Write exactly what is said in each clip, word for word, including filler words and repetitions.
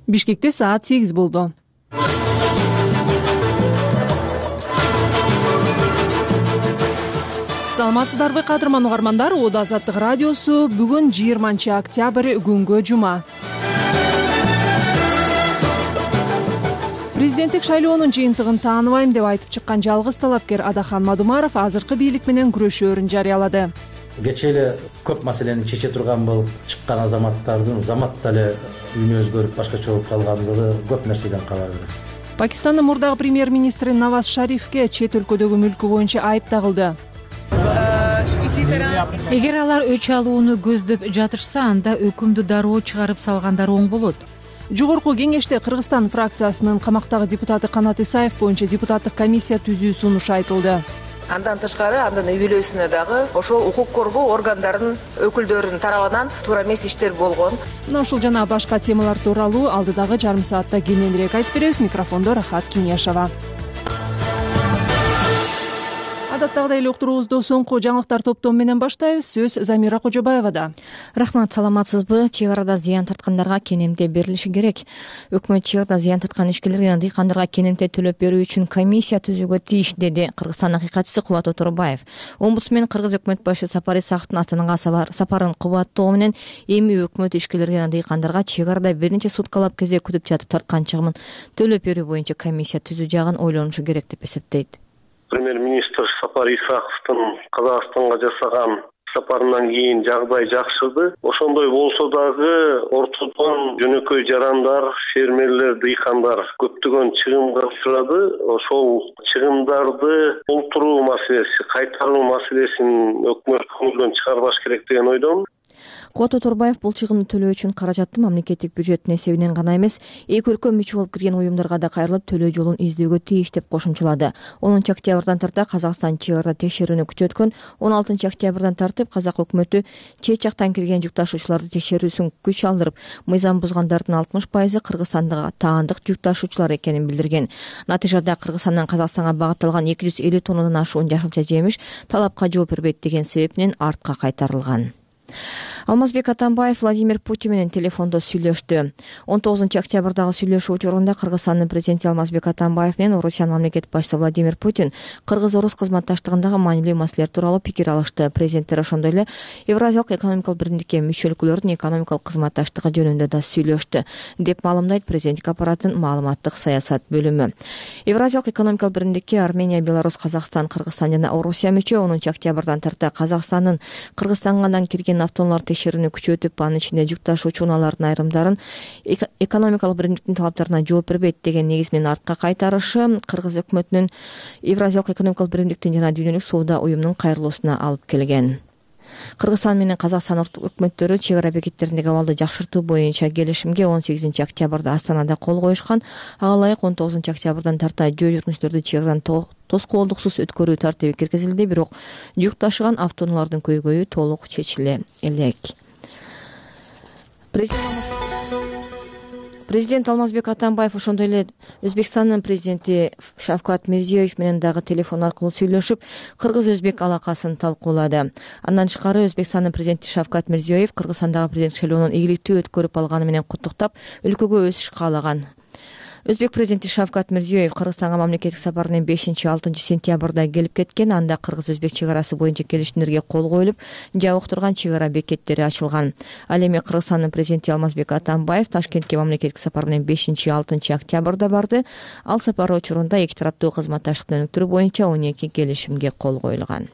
Бишкекте саат сегиз болду. Саламатсыздарбы кадырман угармандар, Ода Азаттык радиосу бүгүн жыйырманчы октябрь күнгө жума. Президенттик шайлоонун жыйынтыгын тааныбайм деп айтып чыккан жалгыз талапкер Адахан Мадумаров азыркы бийлик менен күрөшөөрүн жарыялады. Кечээ эле көп маселени чече турган болуп чыккан азаматтардын заматта эле үнү өзгөрүп башкача болуп калгандыгы көп нерседен кабар берет. Пакистандын мурдагы премьер-министри Наваз Шарифке чет өлкөдөгү мүлкү боюнча айып тагылды. Эгер алар өч алууну көздөп жатышса, анда өкүмдү дароо чыгарып салгандар оң болот. Жогорку кеңеште Кыргызстан фракциясынын камактагы депутаты Канат Исаев боюнча депутаттык комиссия түзүү сунушу айтылды. Андан тышкары андан үй бүлөсүнө дагы ошол укук коргоо органдарынын өкүлдөрүнүн тарабынан туура эмес иштер болгон. Мына ушул жана башка темалар тууралуу алдыдагы жарым саатта кененирээк айтып беребиз. Микрофондо Рахат Кинияшева. Адаттагыдай эле уктуруубузду соңку жаңылыктар топтому менен баштайбыз. Сөз Замира Кожобаевада. Рахмат, саламатсызбы? Чек арада зыян тарткандарга кенемте берилиши керек. Өкмөт чек арада зыян тарткан ишкерлерге жана дыйкандарга кенемте төлөп берүү үчүн комиссия түзүүгө тийиш, деди Кыргызстан акыйкатчысы Кубат Оторбаев. Омбудсмен Кыргыз өкмөт башы Сапар Исаковдун Астанага сапарын кубаттоо менен эми өкмөт ишкерлерге жана дыйкандарга чек арада бир нече суткалап кезек күтүп жатып тарткан чыгымын төлөп берүү боюнча комиссия түзүү жагын ойлонушу керек деп эсептейт. Премьер-министр Сапар Исаковдун Казакстанга жасаган сапарынан кийин жагдай жакшырды. Ошондой болсо дагы ортодон жөнөкөй жарандар, фермерлер, дыйкандар көптөгөн чыгымга учурады. Ошол чыгымдарды толтуруу маселеси, кайтаруу маселесин өкмөт көңүлдөн чыгарбаш керек деген ойдомун. Кубат Оторбаев бул чыгымды төлөө үчүн каражатты мамлекеттик бюджеттин эсебинен гана эмес, эки өлкө мүчө болуп кирген уюмдарга да кайрылып төлөө жолун издөөгө тийиш деп кошумчалады. онунчу октябрдан тарта Казакстан чек арада текшерүүнү күчөткөн. он алтынчы октябрдан тартып Казак өкмөтү чет жактан кирген жүк ташуучуларды текшерүүсүн күч алдырып, мыйзам бузгандардын алтымыш пайызы Кыргызстандагы таандык жүк ташуучулар экенин билдирген. Натыйжада Кыргызстандан Казакстанга багытталган эки жүз элүү тоннадан ашуун жашылча жемиш талапка жооп бербейт деген себептен артка кайтарылган. Алмазбек Атамбаев Владимир Путин менен телефондо сүйлөштү. он тогузунчу октябрдагы сүйлөшүү учурунда Кыргызстандын президенти Алмазбек Атамбаев менен Орусиянын мамлекет башчысы Владимир Путин Кыргыз-Орус кызматташтыгындагы маанилүү маселелер тууралуу пикир алышты. Президенттер ошондой эле Евразиялык экономикалык биримдикке мүчө өлкөлөрдүн экономикалык кызматташтыгы жөнүндө да сүйлөштү, деп маалымдайт президенттик аппараттын маалыматтык саясат бөлүмү. Евразиялык экономикалык биримдикке Армения, Беларусь, Казакстан, Кыргызстан жана Орусия мүчө. онунчу октябрдан тарта Казакстандын Кыргызстандан кирген автоунаалар текшерүүнү күчөтүп, анын ичинде жүк ташуучу унаалардын айрымдарын экономикалык биримдиктин талаптарына жооп бербейт деген негиз менен артка кайтарышы Кыргыз өкмөтүнүн Евразиялык экономикалык биримдиктин жана Дүйнөлүк соода уюмунун кайрылуусуна алып келген. Кыргызстан менен Казакстан өкмөттөрү чек ара бекеттериндеги абалды жакшыртуу боюнча келишимге он сегизинчи октябрда Астанада кол коюшкан. Ага ылайык он тогузунчу октябрдан тарта жөө жүргүнчүлөрдү чек арадан тоскоолдуксуз өткөрүү тартиби киргизилди, бирок жүк ташыган автоунаалардын көйгөйү толук чечиле элек. Президент Алмазбек Атамбаев ошондой эле Өзбекстандын президенти Шавкат Мирзиёев менен дагы телефон аркылуу сүйлөшүп, кыргыз-өзбек алакасын талкуулады. Андан тышкары Өзбекстандын президенти Шавкат Мирзиёев Кыргызстандагы президенттик шайлоонун ийгиликтүү өткөрүп алганы менен куттуктап, өлкөгө өсүш каалаган. Өзбек президенти Шавкат Мирзиёев Кыргызстанга мамлекеттик сапар менен бешинчи алтынчы сентябрда келип кеткен. Анда кыргыз-өзбек чек арасы боюнча келишимдерге кол коюлуп, жабык турган чек ара бекеттери ачылган. Ал эми Кыргызстандын президенти Алмазбек Атамбаев Ташкентке мамлекеттик сапар менен бешинчи алтынчы октябрда барды. Ал сапары учурунда эки тараптуу кызматташтыкты өнүктүрүү боюнча он эки келишимге кол коюлган.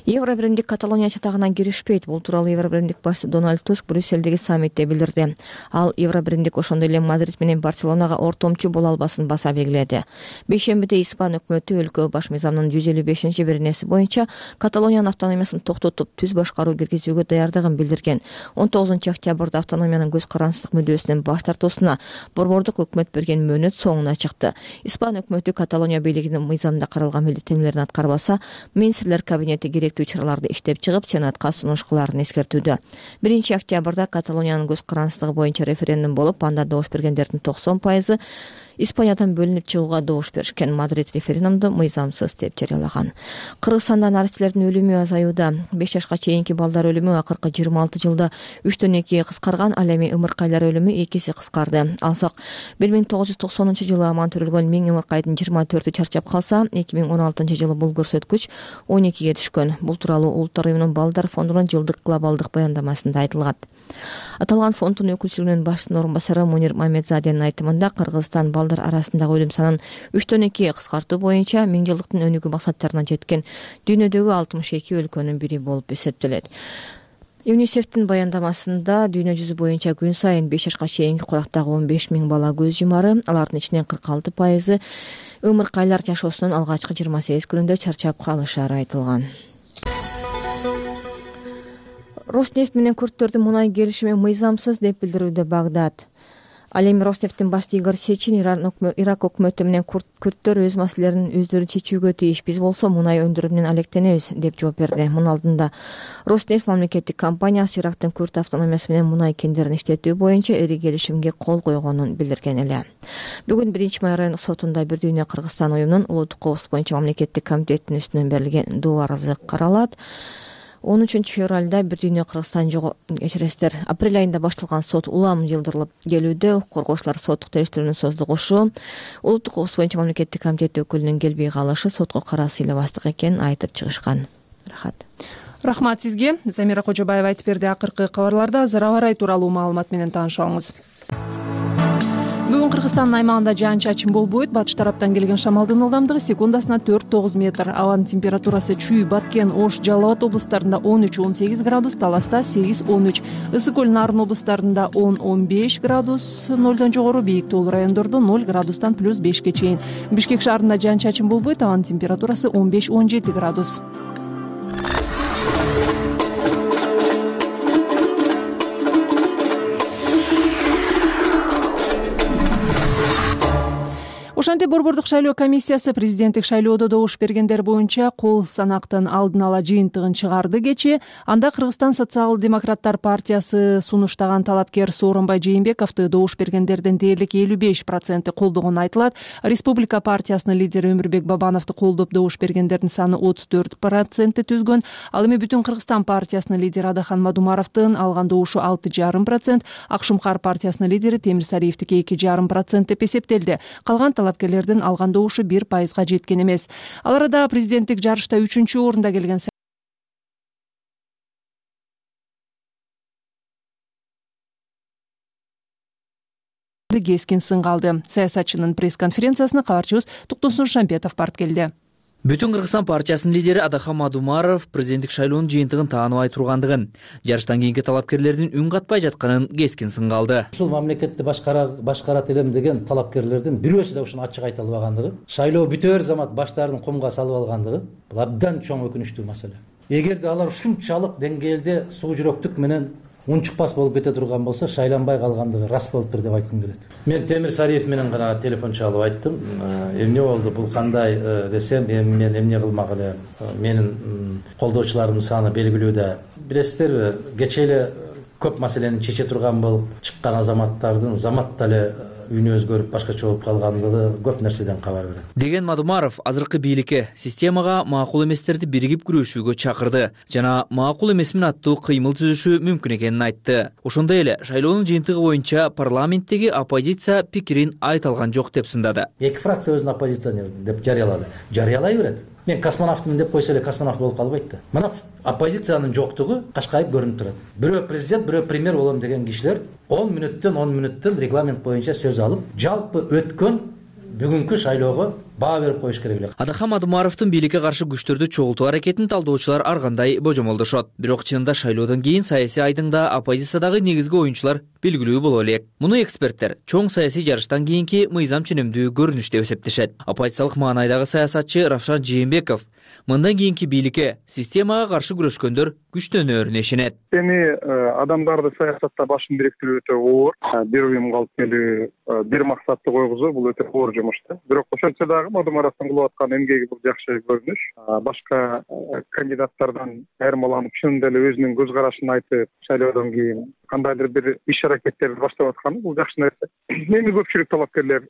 Евробиримдик Каталония чатагынан киришпейт. Бул тууралуу Евробиримдик башчысы Дональд Туск Брюссельдеги саммитте билдирди. Ал Евробиримдик ошондой эле Мадрид менен Барселонага ортомчу боло албасын баса белгиледи. Бейшембиде Испан өкмөтү өлкө баш мыйзамынын жүз элүү бешинчи беренеси боюнча Каталониянын автономиясын токтотуп, түз башкаруу киргизүүгө даярдыгын билдирген. он тогузунчу октябрда автономиянын көз карансыздык мүдөөсүнөн баш тартуусуна борбордук өкмөт берген мөөнөт соңуна чыкты. Испан өкмөтү Каталония бийлигинин мыйзамда каралган милдеттенмелерин аткарбаса, министрлер кабинети керектүү чараларды иштеп чыгып, Сенатка сунуш кылаарын эскертүүдө. биринчи октябрда Каталониянын көз карансыздыгы боюнча референдум болуп, анда добуш бергендердин токсон пайызы Испаниядан бөлүнүп чыгууга добуш беришкен. Мадрид референдумду мыйзамсыз деп жарыялаган. Кыргызстанда наристелердин өлүмү азаюуда. беш жашка чейинки балдар өлүмү акыркы жыйырма алты жылда үчтөн экиге кыскарган, ал эми ымыркайлар өлүмү эки эсе кыскарды. Алсак, бир миң тогуз жүз токсонунчу жылы аман төрөлгөн миң ымыркайдын жыйырма төртү чарчап калса, эки миң он алтынчы жылы бул көрсөткүч он экиге түшкөн. Бул тууралуу Улуттар уюмунун балдар фондунун жылдык глобалдык баяндамасында айтылган. Аталган фонддун өкүлчүлүгүнүн башчысынын орун басары Мунир Мамедзаденин айтымында, Кыргызстан балдар арасындагы өлүм санын үчтөн экиге кыскартуу боюнча миң жылдыктын өнүгүү максаттарына жеткен дүйнөдөгү алтымыш эки өлкөнүн бири болуп эсептелет. ЮНИСЕФтин баяндамасында дүйнө жүзү боюнча күн сайын беш жашка чейинки курактагы он беш миң бала көз жумары, алардын ичинен кырк алты пайызы ымыркайлар жашоосунун алгачкы жыйырма сегиз күнүндө чарчап калышары айтылган. Роснефть менен күрттөрдүн мунай келишими мыйзамсыз деп билдирүүдө Багдад. Ал эми Роснефтин башчысы Игорь Сечин Ирак өкмөтү менен күрттөр өз маселелерин өздөрү чечүүгө тийиш, биз болсо мунай өндүрүүнөн алектенебиз деп жооп берди. Мунун алдында Роснефть мамлекеттик компаниясы Ирактын күрт автономиясы менен мунай кендерин иштетүү боюнча эри келишимге кол койгонун билдирген эле. Бүгүн биринчи май райондук сотунда Бир дүйнө Кыргызстан уюмунун улуттук коопсуздук боюнча мамлекеттик комитетинин үстүнөн берилген доо арызы каралат. он үчүнчү февралда Бир дүйнө Кыргызстан жогу кечиресиздер. Апрель айында башталган сот улам жылдырылып келүүдө. Укук коргоочулар соттук териштирүүнүн создугушу, улуттук коопсуздук боюнча мамлекеттик комитет өкүлүнүн келбей калышы сотко кара сыйлабастык экенин айтып чыгышкан. Рахат. Рахмат сизге. Замира Кожобаева айтып берди. Акыркы кабарларда Зарабарай тууралуу маалымат менен таанышабыз. Бүгүн Кыргызстандын аймагында жаан-чачын болбойт. Батыш тараптан келген шамалдын ылдамдыгы секундасына төрт тогуз метр. Абанын температурасы Чүй, Баткен, Ош, Жалал Абад облустарында он үч он сегиз градус, Таласта сегиз он үч, Ысык көл, Нарын облустарында он он беш градус, нолдон жогору, бийик тоолуу райондордо ноль градустан плюс бешке чейин. Бишкек шаарында жаан-чачын болбойт. Абанын температурасы он беш он жети градус. Ошентип Борбордук шайлоо комиссиясы президенттик шайлоодо добуш бергендер боюнча кол санактын алдын ала жыйынтыгын чыгарды кечээ. Анда Кыргызстан социал-демократтар партиясы сунуштаган талапкер Сооронбай Жээнбековду добуш бергендердин дээрлик элүү беш проценти колдогону айтылат. Республика партиясынын лидери Өмүрбек Бабановду колдоп добуш бергендердин саны отуз төрт процентти түзгөн. Ал эми Бүтүн Кыргызстан партиясынын лидери Адахан Мадумаровдун алган добушу алты жарым процент, Акшумкар партиясынын лидери Темир Сариевдики эки жарым процент деп эсептелди. Калган талапкерлердин алган добушу бир пайызга жеткен эмес. Ал арада президенттик жарышта үчүнчү орунда келген кескин сынга алды. Саясатчынын пресс-конференциясына кабарчыбыз Туктусун Шампетов барып келди. Бүтүн Кыргызстан партиясынын лидери Адахан Мадумаров президенттик шайлоонун жыйынтыгын тааныбай тургандыгын, жарыштан кийинки талапкерлердин үн катпай жатканын кескин сынга алды. Ушул мамлекетти башкарат элем деген талапкерлердин бирөөсү да ушуну ачык айта албагандыгы, шайлоо бүтөөр замат баштарын кумга салып алгандыгы бул абдан чоң өкүнүчтүү маселе. Эгерде алар ушунчалык деңгээлде суу жүрөктүк менен унчукпас болуп кете турган болсо, шайланбай калгандыгы рас болуптур деп айткым келет. Мен Темир Сариев менен гана телефон чалып айттым. Эмне болду, бул кандай десем, эми мен эмне кылмак эле, менин колдоочуларымдын саны белгилүү да. Билесиздерби, кечээ эле көп маселени чече турган болуп чыккан азаматтардын заматта эле үнү өзгөрүп башкача болуп калгандыгы көп нерседен кабар берет деген Мадумаров азыркы бийликке системага макул эместерди биригип күрөшүүгө чакырды жана макул эмесмин аттуу кыймыл түзүшү мүмкүн экенин айтты. Ошондой эле шайлоонун жыйынтыгы боюнча парламенттеги оппозиция пикирин айта алган жок деп сындады. Эки фракция өзүн оппозиционер деп жарыялады. Жарыялай берет. Мен космонавтмын деп койсо эле космонавт болуп калбайт да. Мына оппозициянын жоктугу кашкайып көрүнүп турат. Бирөө президент, бирөө премьер болом деген кишилер он мүнөттөн он мүнөттөн регламент боюнча сөз алып, жалпы өткөн бүгүнкү шайлоого баа берип коюш керек эле. Адахан Мадумаровдун бийликке каршы күчтөрдү чогултуу аракетин талдоочулар ар кандай божомолдошот. Бирок чынында шайлоодон кийин саясий айдыңда оппозициядагы негизги оюнчулар белгилүү боло элек. Муну эксперттер чоң саясий жарыштан кийинки мыйзам ченемдүү көрүнүш деп эсептешет. Оппозициялык маанайдагы саясатчы Равшан Жээнбеков мындан кийинки бийликке системага каршы күрөшкөндөр күчтөнөрүнө ишенет. Эми адамдарды саясатта башын бириктирүү өтө оор. Бир уюмга алып келүү, бир максатты койгузуу бул өтө оор жумуш да. Бирок ошентсе дагы мадумаровдун кылып аткан эмгеги бул жакшы көрүнүш. Башка кандидаттардан айырмаланып, чынында эле өзүнүн көз карашын айтып, шайлоодон кийин кандайдыр бир иш аракеттерди баштап атканы бул жакшы нерсе. Эми көпчүлүк талапкерлер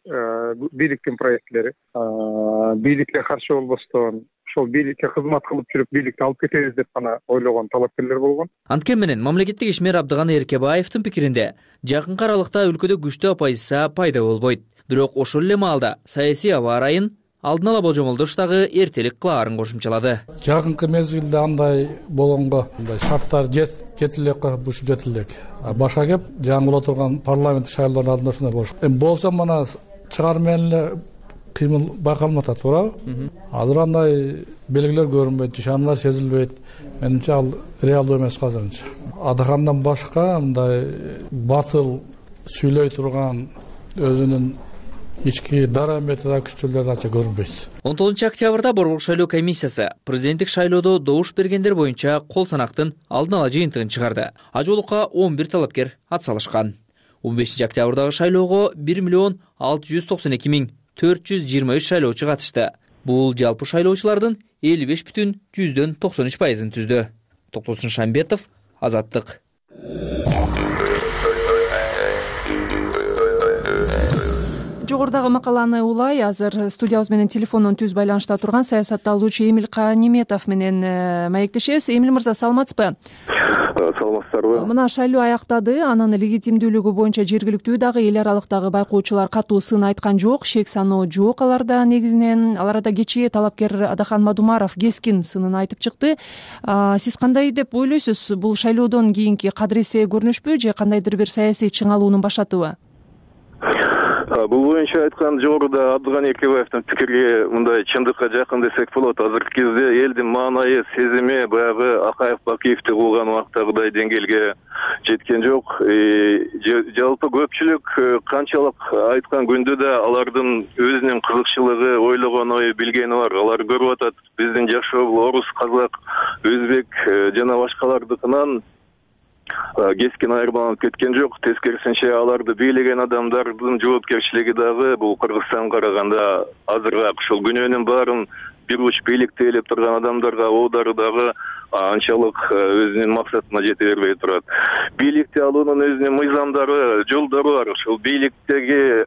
бийликтин проектлери, бийликке каршы болбостон ошол бийликке кызмат кылып жүрүп, бийликти алып кетебиз деп гана ойлогон талапкерлер болгон. Анткени менен мамлекеттик ишмер Абдыган Эркебаевдин пикиринде, жакынкы аралыкта өлкөдө күчтүү оппозиция пайда болбойт. Бирок ошол эле маалда саясий аба ырайын алдын ала болжомолдош дагы эртелик кылаарын кошумчалады. Жакынкы мезгилде андай болгонго мындай шарттар жет жетилек бушуп жетилек. Башка кеп жаңы боло турган парламент шайлоонун алдында ушундай болуш. Эми болсо мына чыгар менен эле кыймыл байкалып атат, туурабы? Азыр андай белгилер көрүнбөйт, ишаналар сезилбейт. Менимче ал реалдуу эмес азырынча. Адахандан башка мындай батыл сүйлөй турган өзүнүн ички дарамети да күчтүүлөр ача көрүнбөйт. он тогузунчу октябрда Борбор шайлоо комиссиясы президенттик шайлоодо добуш бергендер боюнча кол санактын алдын ала жыйынтыгын чыгарды. Ажолукка он бир талапкер атсалышкан. он бешинчи октябрдагы шайлоого бир миллион алты жүз токсон эки миң төрт жүз жыйырма үч шайлоочу катышты. Бул жалпы шайлоочулардын элүү беш бүтүн жүздөн токсон үч пайызын түздү. Токтосун Шамбетов, Азаттык. Жогорудагы макаланы улай азыр студиябыз менен телефондон түз байланышта турган саясатталуучу Эмил Каниметов менен маектешебиз. Эмил мырза, саламатсызбы? Саламатсыздарбы? Мына шайлоо аяктады, анын легитимдүүлүгү боюнча жергиликтүү дагы эл аралыктагы байкоочулар катуу сын айткан жок, шек саноо жок аларда негизинен. Аларда кечээ талапкер Адахан Мадумаров кескин сынын айтып чыкты. Сиз кандай деп ойлойсуз? Бул шайлоодон кийинки кадыресе көрүнүшпү же кандайдыр бир саясий чыңалуунун башатыбы? Бул боюнча айткан жогоруда Абдыган Эркебаевдин пикири мындай чындыкка жакын десек болот. Азыркы кезде элдин маанайы, сезими баягы Акаев Бакиевди кылган убактагыдай деңгээлге жеткен жок. Жалпы көпчүлүк канчалык айткан күндө да алардын өзүнүн кызыкчылыгы, ойлогон ою, билгени бар. Алар көрүп атат биздин жашоо орус, казак, өзбек жана башкалардыкынан кескин айырмаланып кеткен жок. Тескерисинче аларды бийлеген адамдардын жоопкерчилиги дагы бул Кыргызстанга караганда азырыраак. Ушул күнөөнүн баарын бир уч бийликти ээлеп турган адамдарга оодары дагы анчалык өзүнүн максатына жете бербей турат. Бийликти алуунун өзүнүн мыйзамдары, жолдору бар. Ушул бийликтеги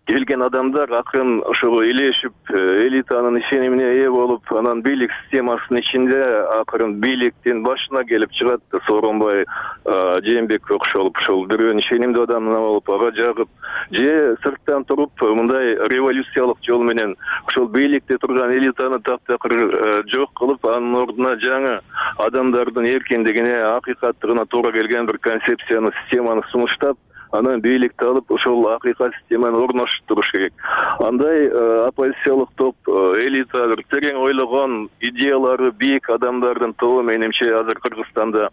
келген адамдар акын ошого илешип, элитанын ишенимине ээ болуп, анан бийлик системасынын ичинде акырын бийликтин башына келип чыгат. Сооронбай Жээнбекке окшолуп, ошол бирөөнүн ишенимдүү адамына болуп, ага жагып, же сырттан туруп мындай революциялык жол менен ошол бийликте турган элитаны таптакыр жок кылып, анын ордуна жаңы адамдардын эркиндигине, акыйкаттыгына туура келген бир концепцияны, системаны сунуштап, анан бийликти алып ошол акыйкат системаны орноштуруш керек. Андай оппозициялык топ, элита, бир терең ойлогон, идеялары бийик адамдардын тобу менимче азыр Кыргызстанда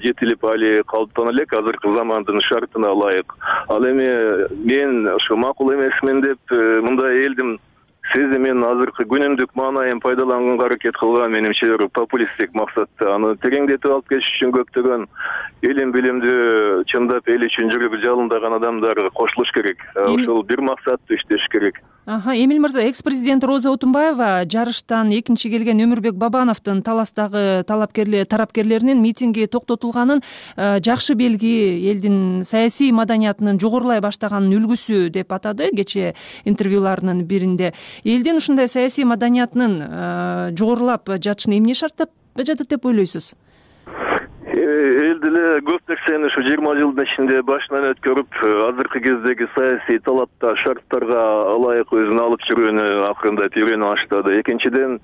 жетилип али калыптана элек, азыркы замандын шартына ылайык. Ал эми мен ошо макул эмесмин деп мындай элдин сезимин, азыркы күнүмдүк маанайын пайдаланганга аракет кылган менимче популисттик максатта аны тереңдетип алып кетиш үчүн көптөгөн илим билимдүү, чындап эл үчүн жүрүп жалындаган адамдар кошулуш керек. Ошол бир максатты иштеш керек. Аха, Эмил мырза, экс-президент Роза Отунбаева жарыштан экинчи келген Өмүрбек Бабановдун таластагы талапкерлер тарапкерлеринин митинги токтотулганын жакшы белги, элдин саясий маданиятынын жогорулай баштаганын үлгүсү деп атады кечээ интервьюларынын биринде. Элдин ушундай саясий маданиятынын жогорулап жатышына эмне шарттап жатат деп ойлойсуз? Эл деле көп нерсени ушу жыйырма жылдын ичинде башынан өткөрүп, азыркы кездеги саясий талапта, шарттарга ылайык өзүн алып жүрүүнү акырындап үйрөнүп баштады. Экинчиден,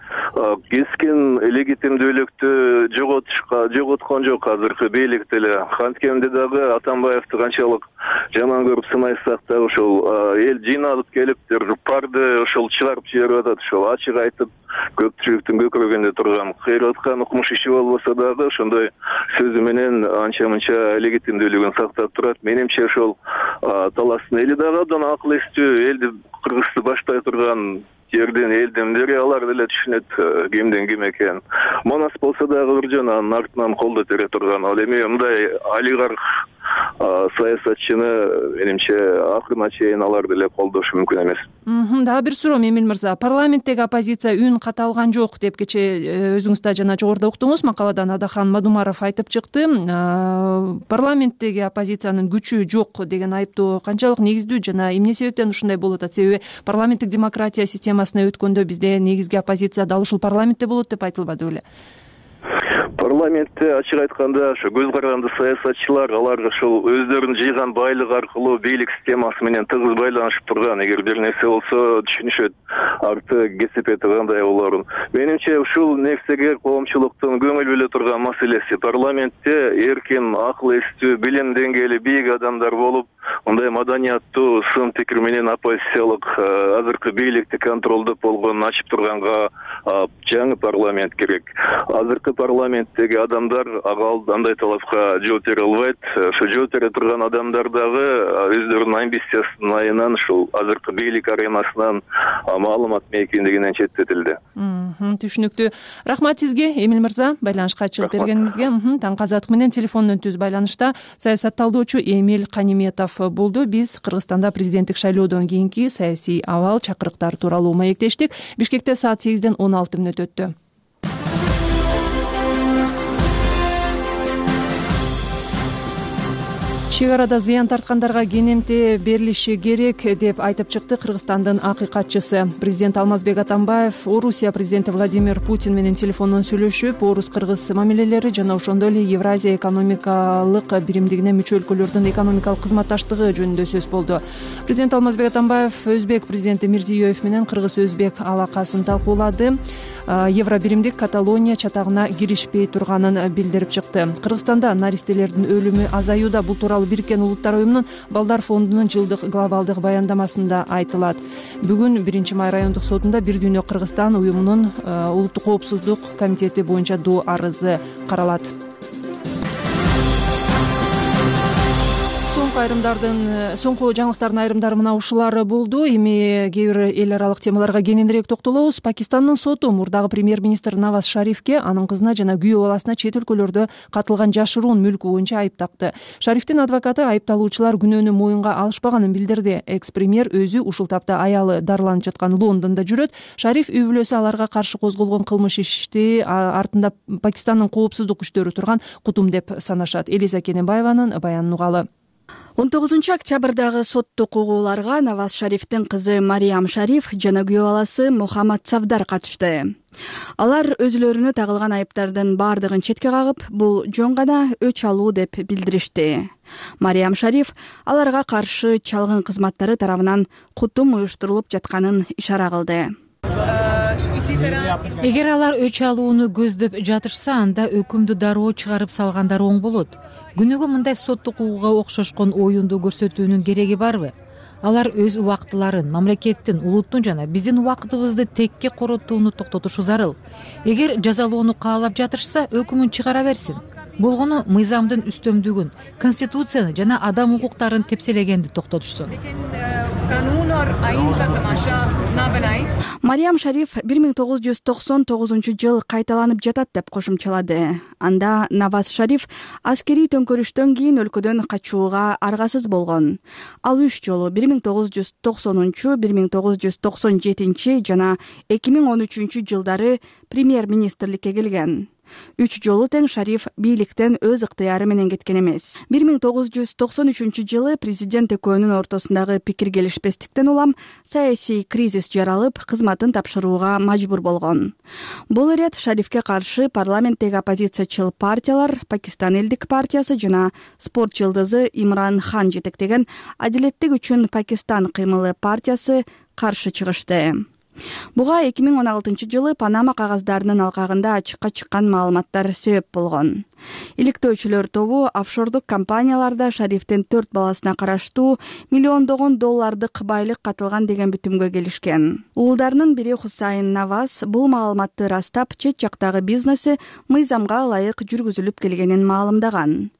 кескин легитимдүүлүктү жоготушка жоготкон жок азыркы бийлик деле. Анткенде дагы Атамбаевди канчалык жаман көрүп сынайсак да, ошол эл жыйналып келип, парды ошол чыгарып жиберип атат. Ошол ачык айтып, көпчүлүктүн көкүрөгүндө турган кыйрап аткан укмуш иши болбосо дагы ошондой сөзү менен анча-мынча легитимдүүлүгүн сактап турат. Менимче ошол таластын эли дагы абдан акыл эстүү, элди Кыргызды баштай турган жерден элдин бири алар деле түшүнөт кимдин ким экенин. Манас болсо дагы бир жөн анын артынан колдо тере турган. Ал эми мындай олигарх саясатчыны менимче акырына чейин алар деле колдошу мүмкүн эмес. Дагы бир суроо Эмил мырза, парламенттеги оппозиция үн каталган жок деп кечээ өзүңүз да жана жогоруда уктуңуз, макаладан Адахан Мадумаров айтып чыкты. Парламенттеги оппозициянын күчү жок деген айыптоо канчалык негиздүү жана эмне себептен ушундай болуп атат? Себеби парламенттик демократия системасына өткөндө бизде негизги оппозиция дал ушул парламентте болот деп айтылбады беле? Парламентте ачык айтканда ошо көз каранды саясатчылар алар ошол өздөрүнүн жыйган байлыгы аркылуу бийлик системасы менен тыгыз байланышып турган. Эгер бир нерсе болсо түшүнүшөт, арты кесипети кандай болорун. Менимче ушул нерсеге коомчулуктун көңүл бөлө турган маселеси. Парламентте эркин, акыл эстүү, билим деңгээли бийик адамдар болуп, мындай маданияттуу сын пикир менен оппозициялык азыркы бийликти контролдоп болгонун ачып турганга жаңы парламент керек. Азыркы парламенттеги адамдар ага андай талапка жооп бере албайт. Ошо жооп бере турган адамдар дагы өздөрүнүн амбициясынын айынан ушул азыркы бийлик аренасынан маалымат мейкиндигинен четтетилди. Түшүнүктүү. Рахмат сизге, Эмил мырза, байланышка чыгып бергениңизге. Таңкы азаттык менен телефондон түз байланышта саясат талдоочу Эмил Каниметов болду. Биз Кыргызстанда президенттик шайлоодон кийинки саясий абал, чакырыктар тууралуу маектештик. Бишкекте саат сегизден он алты мүнөт өттү. Чек арада зыян тарткандарга кенемте берилиши керек деп айтып чыкты Кыргызстандын акыйкатчысы. Президент Алмазбек Атамбаев Орусия президенти Владимир Путин менен телефондон сүйлөшүп, орус-кыргыз мамилелери жана ошондой эле Евразия экономикалык биримдигине мүчө өлкөлөрдүн экономикалык кызматташтыгы жөнүндө сөз болду. Президент Алмазбек Атамбаев өзбек президенти Мирзиёев менен кыргыз-өзбек алакасын талкуулады. Евро биримдик Каталония чатагына киришпей турганын билдирип чыкты. Кыргызстанда наристелердин өлүмү азаюуда. Бул тууралуу Бириккен Улуттар уюмунун Балдар фондунун жылдык глобалдык баяндамасында айтылат. Бүгүн биринчи май райондук сотунда Бир дүйнө Кыргызстан уюмунун улуттук коопсуздук комитети боюнча доо арызы каралат. Соңку айрымдардын соңку жаңылыктардын айрымдары мына ушулар болду. Эми кээ бир эл аралык темаларга кененирээк токтолобуз. Пакистандын соту мурдагы премьер-министр Наваз Шарифке, анын кызына жана күйөө баласына чет өлкөлөрдө катылган жашыруун мүлкү боюнча айып такты. Шарифтин адвокаты айыпталуучулар күнөөнү моюнга алышпаганын билдирди. Экс-премьер өзү ушул тапта аялы дарыланып жаткан Лондондо жүрөт. Шариф үй бүлөсү аларга каршы козголгон кылмыш ишти артында Пакистандын коопсуздук күчтөрү турган кутум деп санашат. Элиза Кененбаеванын баянын угалы. он тогузунчу октябрдагы соттук угууларга Наваз Шарифтин кызы Мариям Шариф жана күйөө баласы Мухаммад Савдар катышты. Алар өзүлөрүнө тагылган айыптардын баардыгын четке кагып, бул жөн гана өч алуу деп билдиришти. Мариям Шариф аларга каршы чалгын кызматтары тарабынан кутум уюштурулуп жатканын ишара кылды. Эгер алар өч алууну көздөп жатышса, анда өкүмдү дароо чыгарып салгандар оң болот. Күнүгө мындай соттук укууга окшошкон оюнду көрсөтүүнүн кереги барбы? Алар өз убактыларын, мамлекеттин, улуттун жана биздин убактыбызды текке коротууну токтотушу зарыл. Эгер жазалоону каалап жатышса, өкүмүн чыгара берсин. Болгону мыйзамдын үстөмдүгүн, конституцияны жана адам укуктарын тепселегенди токтотушсун. Мариям Шариф бир миң тогуз жүз токсон тогузунчу жыл кайталанып жатат деп кошумчалады. Анда Наваз Шариф аскерий төңкөрүштөн кийин өлкөдөн качууга аргасыз болгон. Ал үч жолу бир миң тогуз жүз токсонунчу, бир миң тогуз жүз токсон жетинчи жана эки миң он үчүнчү жылдары премьер-министрликке келген. Үч жолу тең Шариф бийликтен өз ыктыяры менен кеткен эмес. бир миң тогуз жүз токсон үчүнчү жылы президент экөөнүн ортосундагы пикир келишпестиктен улам саясий кризис жаралып, кызматын тапшырууга мажбур болгон. Бул ирет Шарифке каршы парламенттеги оппозициячыл партиялар, Пакистан элдик партиясы жана спорт жылдызы Имран Хан жетектеген Адилеттик үчүн Пакистан кыймылы партиясы каршы чыгышты. Буга эки миң он алтынчы жылы Панама кагаздарынын алкагында ачыкка чыккан маалыматтар себеп болгон. Иликтөөчүлөр тобу офшордук компанияларда Шарифтин төрт баласына караштуу миллиондогон доллардык байлык катылган деген бүтүмгө келишкен. Уулдарынын бири Хусайн Наваз бул маалыматты ырастап, чет жактагы бизнеси мыйзамга ылайык жүргүзүлүп келгенин маалымдаган.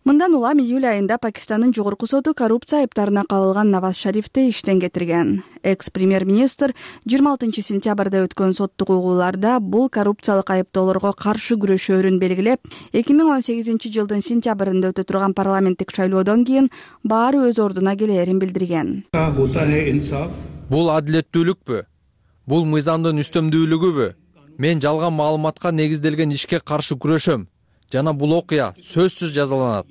Мындан улам июль айында Пакистандын жогорку соту коррупция айыптарына кабылган Наваз Шарифти иштен кетирген. Экс-премьер-министр жыйырма алтынчы сентябрда өткөн соттук угууларда бул коррупциялык айыптоолорго каршы күрөшөөрүн белгилеп, эки миң он сегизинчи жылдын сентябрында өтө турган парламенттик шайлоодон кийин баары өз ордуна келээрин билдирген. Бул адилеттүүлүкпү? Бул мыйзамдын үстөмдүүлүгүбү? Мен жалган маалыматка негизделген ишке каршы күрөшөм жана бул окуя сөзсүз жазаланат.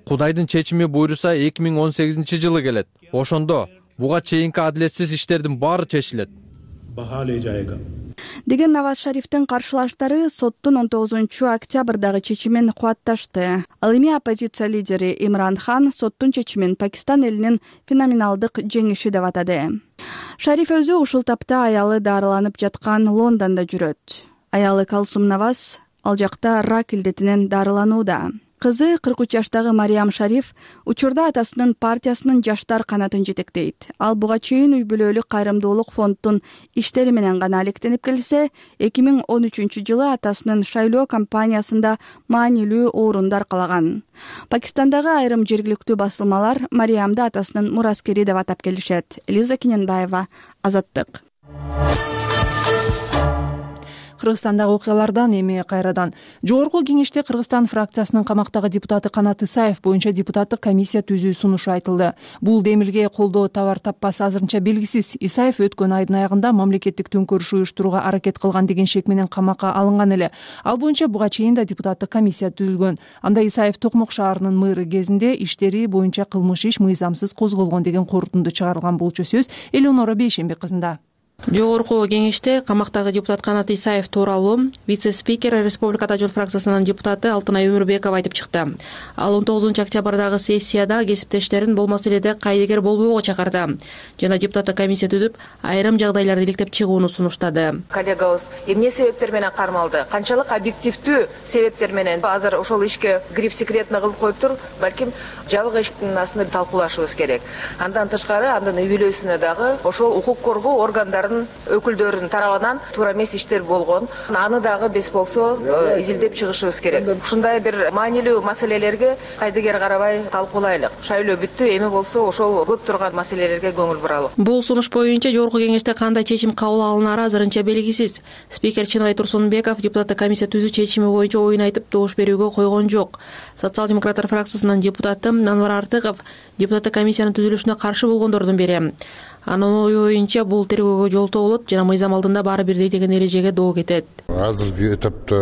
Кудайдын чечими буйруса эки миң он сегизинчи жылы келет. Ошондо буга чейинки адилетсиз иштердин баары чечилет деген Наваз Шарифтин каршылаштары соттун он тогузунчу октябрдагы чечимин кубатташты. Ал эми оппозиция лидери Имран Хан соттун чечимин Пакистан элинин феноменалдык жеңиши деп атады. Шариф өзү ушул тапта аялы дарыланып жаткан Лондондо жүрөт. Аялы Калсум Наваз ал жакта рак илдетинен дарыланууда. Кызы кырк үч жаштагы Мариям Шариф учурда атасынын партиясынын жаштар канатын жетектейт. Ал буга чейин үй бүлөлүк кайрымдуулук фонддун иштери менен гана алектенип келсе, эки миң он үчүнчү жылы атасынын шайлоо кампаниясында маанилүү орунду аркалаган. Пакистандагы айрым жергиликтүү басылмалар Мариямды атасынын мураскери деп атап келишет. Лиза Кененбаева, Азаттык. Кыргызстандагы окуялардан эми кайрадан. Жогорку кеңеште Кыргызстан фракциясынын камактагы депутаты Канат Исаев боюнча депутаттык комиссия түзүү сунушу айтылды. Бул демилге колдоо табар таппасы азырынча белгисиз. Исаев өткөн айдын аягында мамлекеттик төңкөрүш уюштурууга аракет кылган деген шек менен камакка алынган эле. Ал боюнча буга чейин да депутаттык комиссия түзүлгөн. Анда Исаев Токмок шаарынын мэрі кезинде иштери боюнча кылмыш иш мыйзамсыз козголгон деген корутунду чыгарылган болчу сөз Элеонора Бейшембек кызында. Жогорку кеңеште камактагы депутат Канат Исаев тууралуу вице-спикер Республикада Жол фракциясынын депутаты Алтынай Өмүрбекова айтып чыкты. Ал он тогузунчу октябрдагы сессияда кесиптештерин бул маселеде кайдыгер болбоого чакырды жана депутаттык комиссия түзүп, айрым жагдайларды иликтеп чыгууну сунуштады. Коллегабыз эмне себептер менен кармалды? Канчалык объективдүү себептер менен азыр ошол ишке гриф секретно кылып коюптур? Балким жабык эшиктин астында талкуулашыбыз керек. Андан тышкары, андан үй бүлөсүнө дагы ошол укук коргоо органдары өкүлдөрүнүн тарабынан туура эмес иштер болгон. Аны дагы бес болсо изилдеп чыгышыбыз керек. Ушундай бир маанилүү маселелерге кайдыгер карабай талкуулайлык. Шайлоо бүттү, эми болсо ошол көп турган маселелерге көңүл буралы. Бул сунуш боюнча жогорку кеңеште кандай чечим кабыл алынары азырынча белгисиз. Спикер Чынай Турсунбеков депутаттык комиссия түзүү чечими боюнча оюн айтып добуш берүүгө койгон жок. Социал-демократтар фракциясынын депутаты Анвар Артыков депутаттык комиссиянын түзүлүшүнө каршы болгондордун бири. Анын оюнча бул тергөөгө жолтоо болот жана мыйзам алдында баары бирдей деген эрежеге доо кетет. Азыркы этапта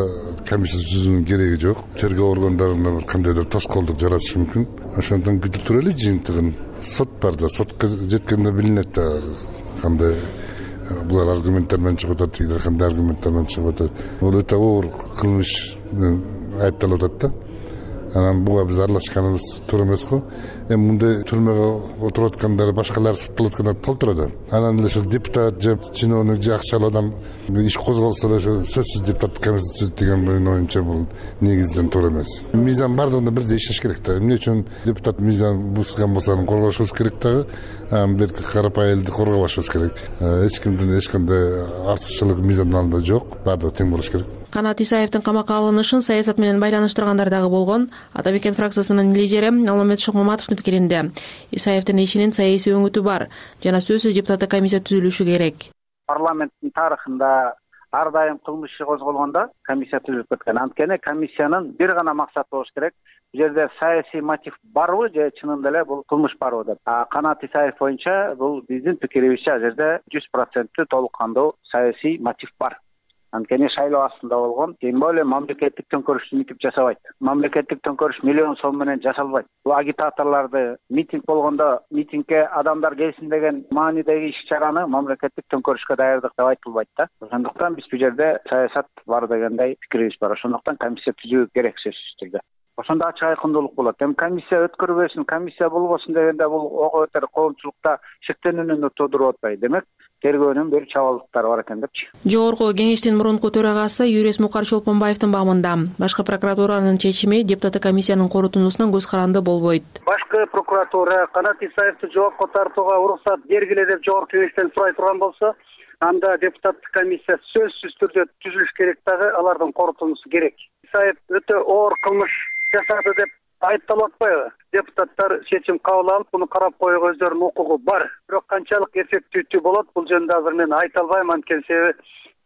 комиссия түзүүнүн кереги жок. Тергөө органдарында бир кандайдыр тоскоолдук жаратышы мүмкүн. Ошондон күтүп турайлы жыйынтыгын. Сот бар да, сотко жеткенде билинет да кандай булар аргументтер менен чыгып атат, тигилер кандай аргументтер менен чыгып атат. Бул өтө оор кылмыш айыпталып атат да. Анан буга биз аралашканыбыз туура эмес го. Эми мындай түрмөгө отуруп аткандар башкалар соттолуп аткандар болуп турат. Анан эле ошол депутат же чиновник же акчалуу адам иш козголсо да ошо сөзсүз депутаттык комиссия түзүт деген менин оюмча бул негизден туура эмес. Мыйзам бардыгында бирдей иштеш керек да. Эмне үчүн депутат мыйзам бузган болсо аны коргошубуз керек дагы. Берки карапайым элди коргобошубуз керек. Эч кимдин эч кандай артыкчылыгы мыйзамдын алдында жок. Баардыгы тең болуш керек. Канат Исаевдин камакка алынышын саясат менен байланыштыргандар дагы болгон. Ата Бекен фракциясынын лидери Алмамет Шокмаматовдун пикиринде Исаевдин ишинин саясий өңүтү бар жана сөзсүз депутаттык комиссия түзүлүшү керек. Парламенттин тарыхында ар дайым кылмыш иши козголгондо комиссия түзүлүп кеткен. Анткени комиссиянын бир гана максаты болуш керек. Бул жерде саясий мотив барбы же чынында эле бул кылмыш барбы деп. Канат Исаев боюнча бул биздин пикирибизче ал жерде жүз проценттүү толук кандуу саясий мотив бар. Анткени шайлоо астында болгон, тем более мамлекеттик төңкөрүштү митип жасабайт. Мамлекеттик төңкөрүш миллион сом менен жасалбайт. Бул агитаторлорду митинг болгондо митингге адамдар келсин деген маанидеги иш-чараны мамлекеттик төңкөрүшкө даярдык деп айтылбайт да. Ошондуктан биз бул жерде саясат бар дегендей пикирибиз бар. Ошондуктан комиссия түзүү керек сөзсүз түрдө. Ошондо ачык айкындуулук болот. Эми комиссия өткөрбөсүн, комиссия болбосун дегенде бул ого бетер коомчулукта шектенүүнү туудуруп атпайбы. Демек тергөөнүн бир чабалдыктары бар экен депчи. Жогорку кеңештин мурунку төрагасы Юрес Мукар Чолпонбаевдин баамында башкы прокуратуранын чечими депутаттык комиссиянын корутундусунан көз каранды болбойт. Башкы прокуратура Канат Исаевди жоопко тартууга уруксат бергиле деп жогорку кеңештен сурай турган болсо, анда депутаттык комиссия сөзсүз түрдө түзүлүш керек дагы, алардын корутундусу керек. Исаев өтө оор кылмыш жасады деп айыпталып атпайбы? Депутаттар чечим кабыл алып, буну карап коюуга өздөрүнүн укугу бар. Бирок канчалык эффективдүү болот, бул жөнүндө азыр мен айта албайм, анткени себеби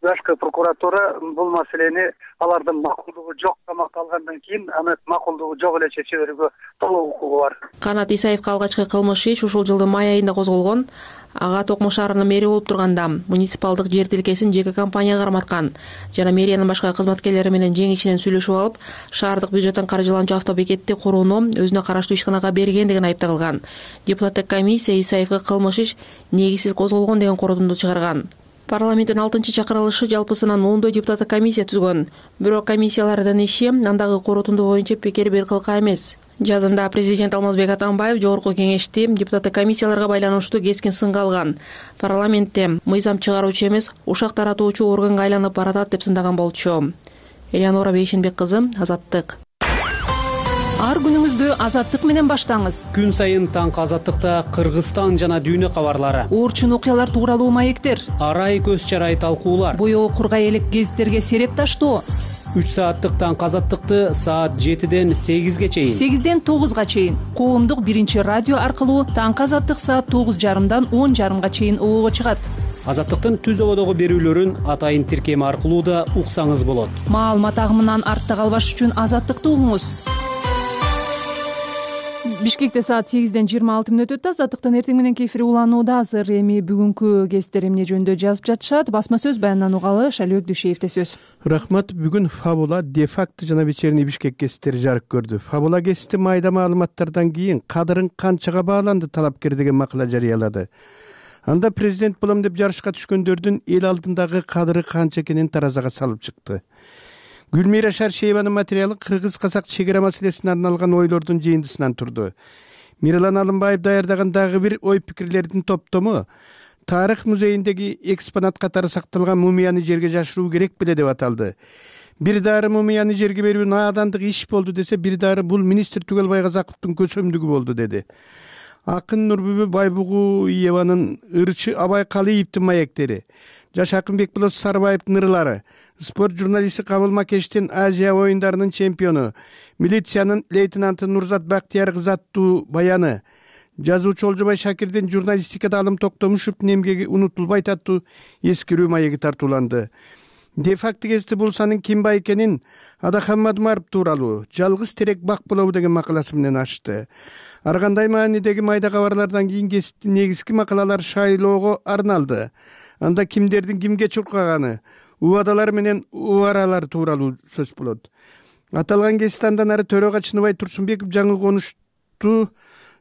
башкы прокуратура бул маселени алардын макулдугу жок камакка алгандан кийин аны макулдугу жок эле чече берүүгө толук укугу бар. Канат Исаевге алгачкы кылмыш иш ушул жылдын май айында козголгон. Ага Токмо шаарынын мэри болуп турганда муниципалдык жер тилкесин жеке компанияга карматкан жана мэриянын башка кызматкерлери менен жең ичинен сүйлөшүп алып, шаардык бюджеттен каржыланчу автобекетти курууну өзүнө караштуу ишканага берген деген айыпталган. Депутаттык комиссия Исаевге кылмыш иш негизсиз козголгон деген корутунду чыгарган. Парламенттин алтынчы чакырылышы жалпысынан ондой депутаттык комиссия түзгөн. Бирок комиссиялардын иши андагы корутунду боюнча пикир бир кылка эмес. Жазында президент Алмазбек Атамбаев жогорку кеңешти депутаттык комиссияларга байланыштуу кескин сынга алган. Парламентте мыйзам чыгаруучу эмес, ушак таратуучу органга айланып баратат деп сындаган болчу. Элеонора Бейшенбек кызы, Азаттык. Ар күнүңүздү Азаттык менен баштаңыз. Күн сайын таңкы Азаттыкта Кыргызстан жана дүйнө кабарлары, оорчун окуялар тууралуу маектер, арай көз чарай талкуулар, боёгу кургай элек гезиттерге сереп таштоо. үч сааттык таңкы Азаттыкты саат жетиден сегизге чейин, сегизден тогузга чейин коомдук биринчи радио аркылуу таңкы Азаттык саат тогуз жарымдан он жарымга чейин обого чыгат. Азаттыктын түз ободогу берүүлөрүн атайын тиркеми аркылуу да уксаңыз болот. Маалымат агымынан артта калбаш үчүн Азаттыкты угуңуз. Бишкекте саат сегизден жыйырма алты мүнөт өтүп, Азаттыктын эртең мененки эфири уланууда. Азыр эми бүгүнкү кесиптер эмне жөнүндө жазып жатышат? Басма сөз баяндан угалы Шалөк Дүйшеевде сөз. Рахмат. Бүгүн Фабула, Де-факто жана Вечерний Бишкек кесиптери жарык көрдү. Фабула кесипти майда маалыматтардан кийин кадырың канчага бааланды талапкер деген макала жарыялады. Анда президент болом деп жарышка түшкөндөрдүн эл алдындагы кадыры канча экенин таразага салып чыкты. Гүлмира Шаршееванын материалы кыргыз-казак чегара маселесине арналган ойлордун жыйындысынан турду. Миралан Алымбаев даярдаган дагы бир ой-пикирлердин топтому тарых музейиндеги экспонат катары сакталган мумияны жерге жашыруу керек беле деп аталды. Бир дары мумияны жерге берүү наадандык иш болду десе, бир дары бул министр Түгөлбай Казаковдун көсөмдүгү болду деди. Акын Нурбүбү Байбугуеванын ырчы Абай Калиевдин маектери, Жаш Акынбек Болот Сарбаевдин ырлары, спорт журналисти Кабыл Макештин Азия оюндарынын чемпиону, милициянын лейтенанты Нурзат Бактияркызы аттуу баяны, жазуучу Олжобай Шакирдин журналистикада Алым Токтомушевдин эмгеги унутулбайт аттуу эскерүү маеги тартууланды. Де-факто кесипти Булсанын Кимбай экенин Адахан Мадумаров тууралуу жалгыз терек бак болобу деген макаласы менен ачты. Ар кандай маанидеги майда кабарлардан кийин кесиптин негизги макалалар шайлоого арналды. Анда кимдердин кимге чуркаганы, убадалар менен убаралар тууралуу сөз болот. Аталган кесипти андан ары төрага Чыныбай Турсунбеков жаңы конушту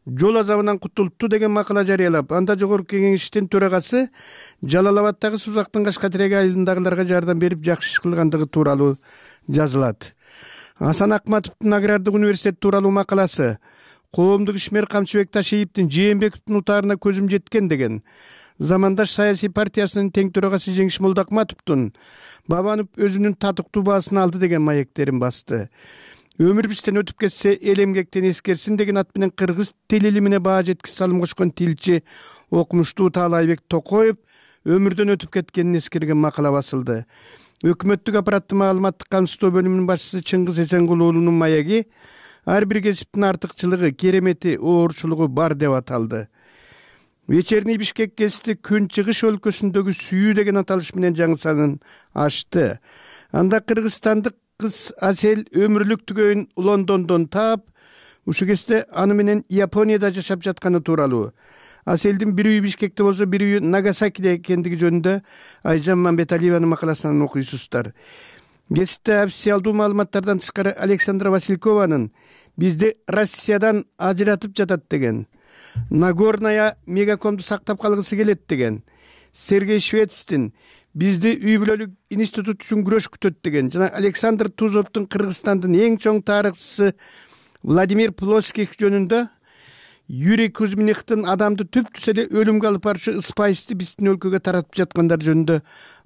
жол азабынан кутулупту деген макала жарыялап, анда жогорку кеңештин төрагасы Жалал Абаддагы Сузактын Кашкатиреги айылындагыларга жардам берип жакшы иш кылгандыгы тууралуу жазылат. Асан Акматовдун Агрардык университет тууралуу макаласы, коомдук ишмер Камчыбек Ташиевдин Жээнбековдун утаарына көзүм жеткен деген, Замандаш саясий партиясынын тең төрагасы Жеңиш Молдокматовдун Бабанов өзүнүн татыктуу баасын алды деген маектерин басты. Өмүр бизден өтүп кетсе эл эмгектен эскерсин деген ат менен кыргыз тил илимине баа жеткис салым кошкон тилчи окумуштуу Таалайбек Токоев өмүрдөн өтүп кеткенин эскерген макала басылды. Өкмөттүк аппараттын маалыматтык камсыздоо бөлүмүнүн башчысы Чыңгыз Эсенгул уулунун маеги ар бир кесиптин артыкчылыгы, керемети, оорчулугу бар деп аталды. Вечерний Бишкек кесипти Күн чыгыш өлкөсүндөгү сүйүү деген аталыш менен жаңы санын ачты. Анда кыргызстандык кыз Асел өмүрлүк түгөйүн Лондондон таап, ушу кезде аны менен Японияда жашап жатканы тууралуу. Аселдин бир үйү Бишкекте болсо, бир үйү Нагасакиде экендиги жөнүндө Айжан Мамбеталиеванын макаласынан окуйсуздар. Кесипте официалдуу маалыматтардан тышкары Александра Василькованын бизди Россиядан ажыратып жатат деген, Нагорная мегакомду сактап калгысы келет деген, Сергей Швецтин бизди үй бүлөлүк институт үчүн күрөш күтөт деген жана Александр Тузовдун Кыргызстандын эң чоң тарыхчысы Владимир Плоских жөнүндө Юрий Кузьминовдун адамды түп түз эле өлүмгө алып барчу спайсти биздин өлкөгө таратып жаткандар жөнүндө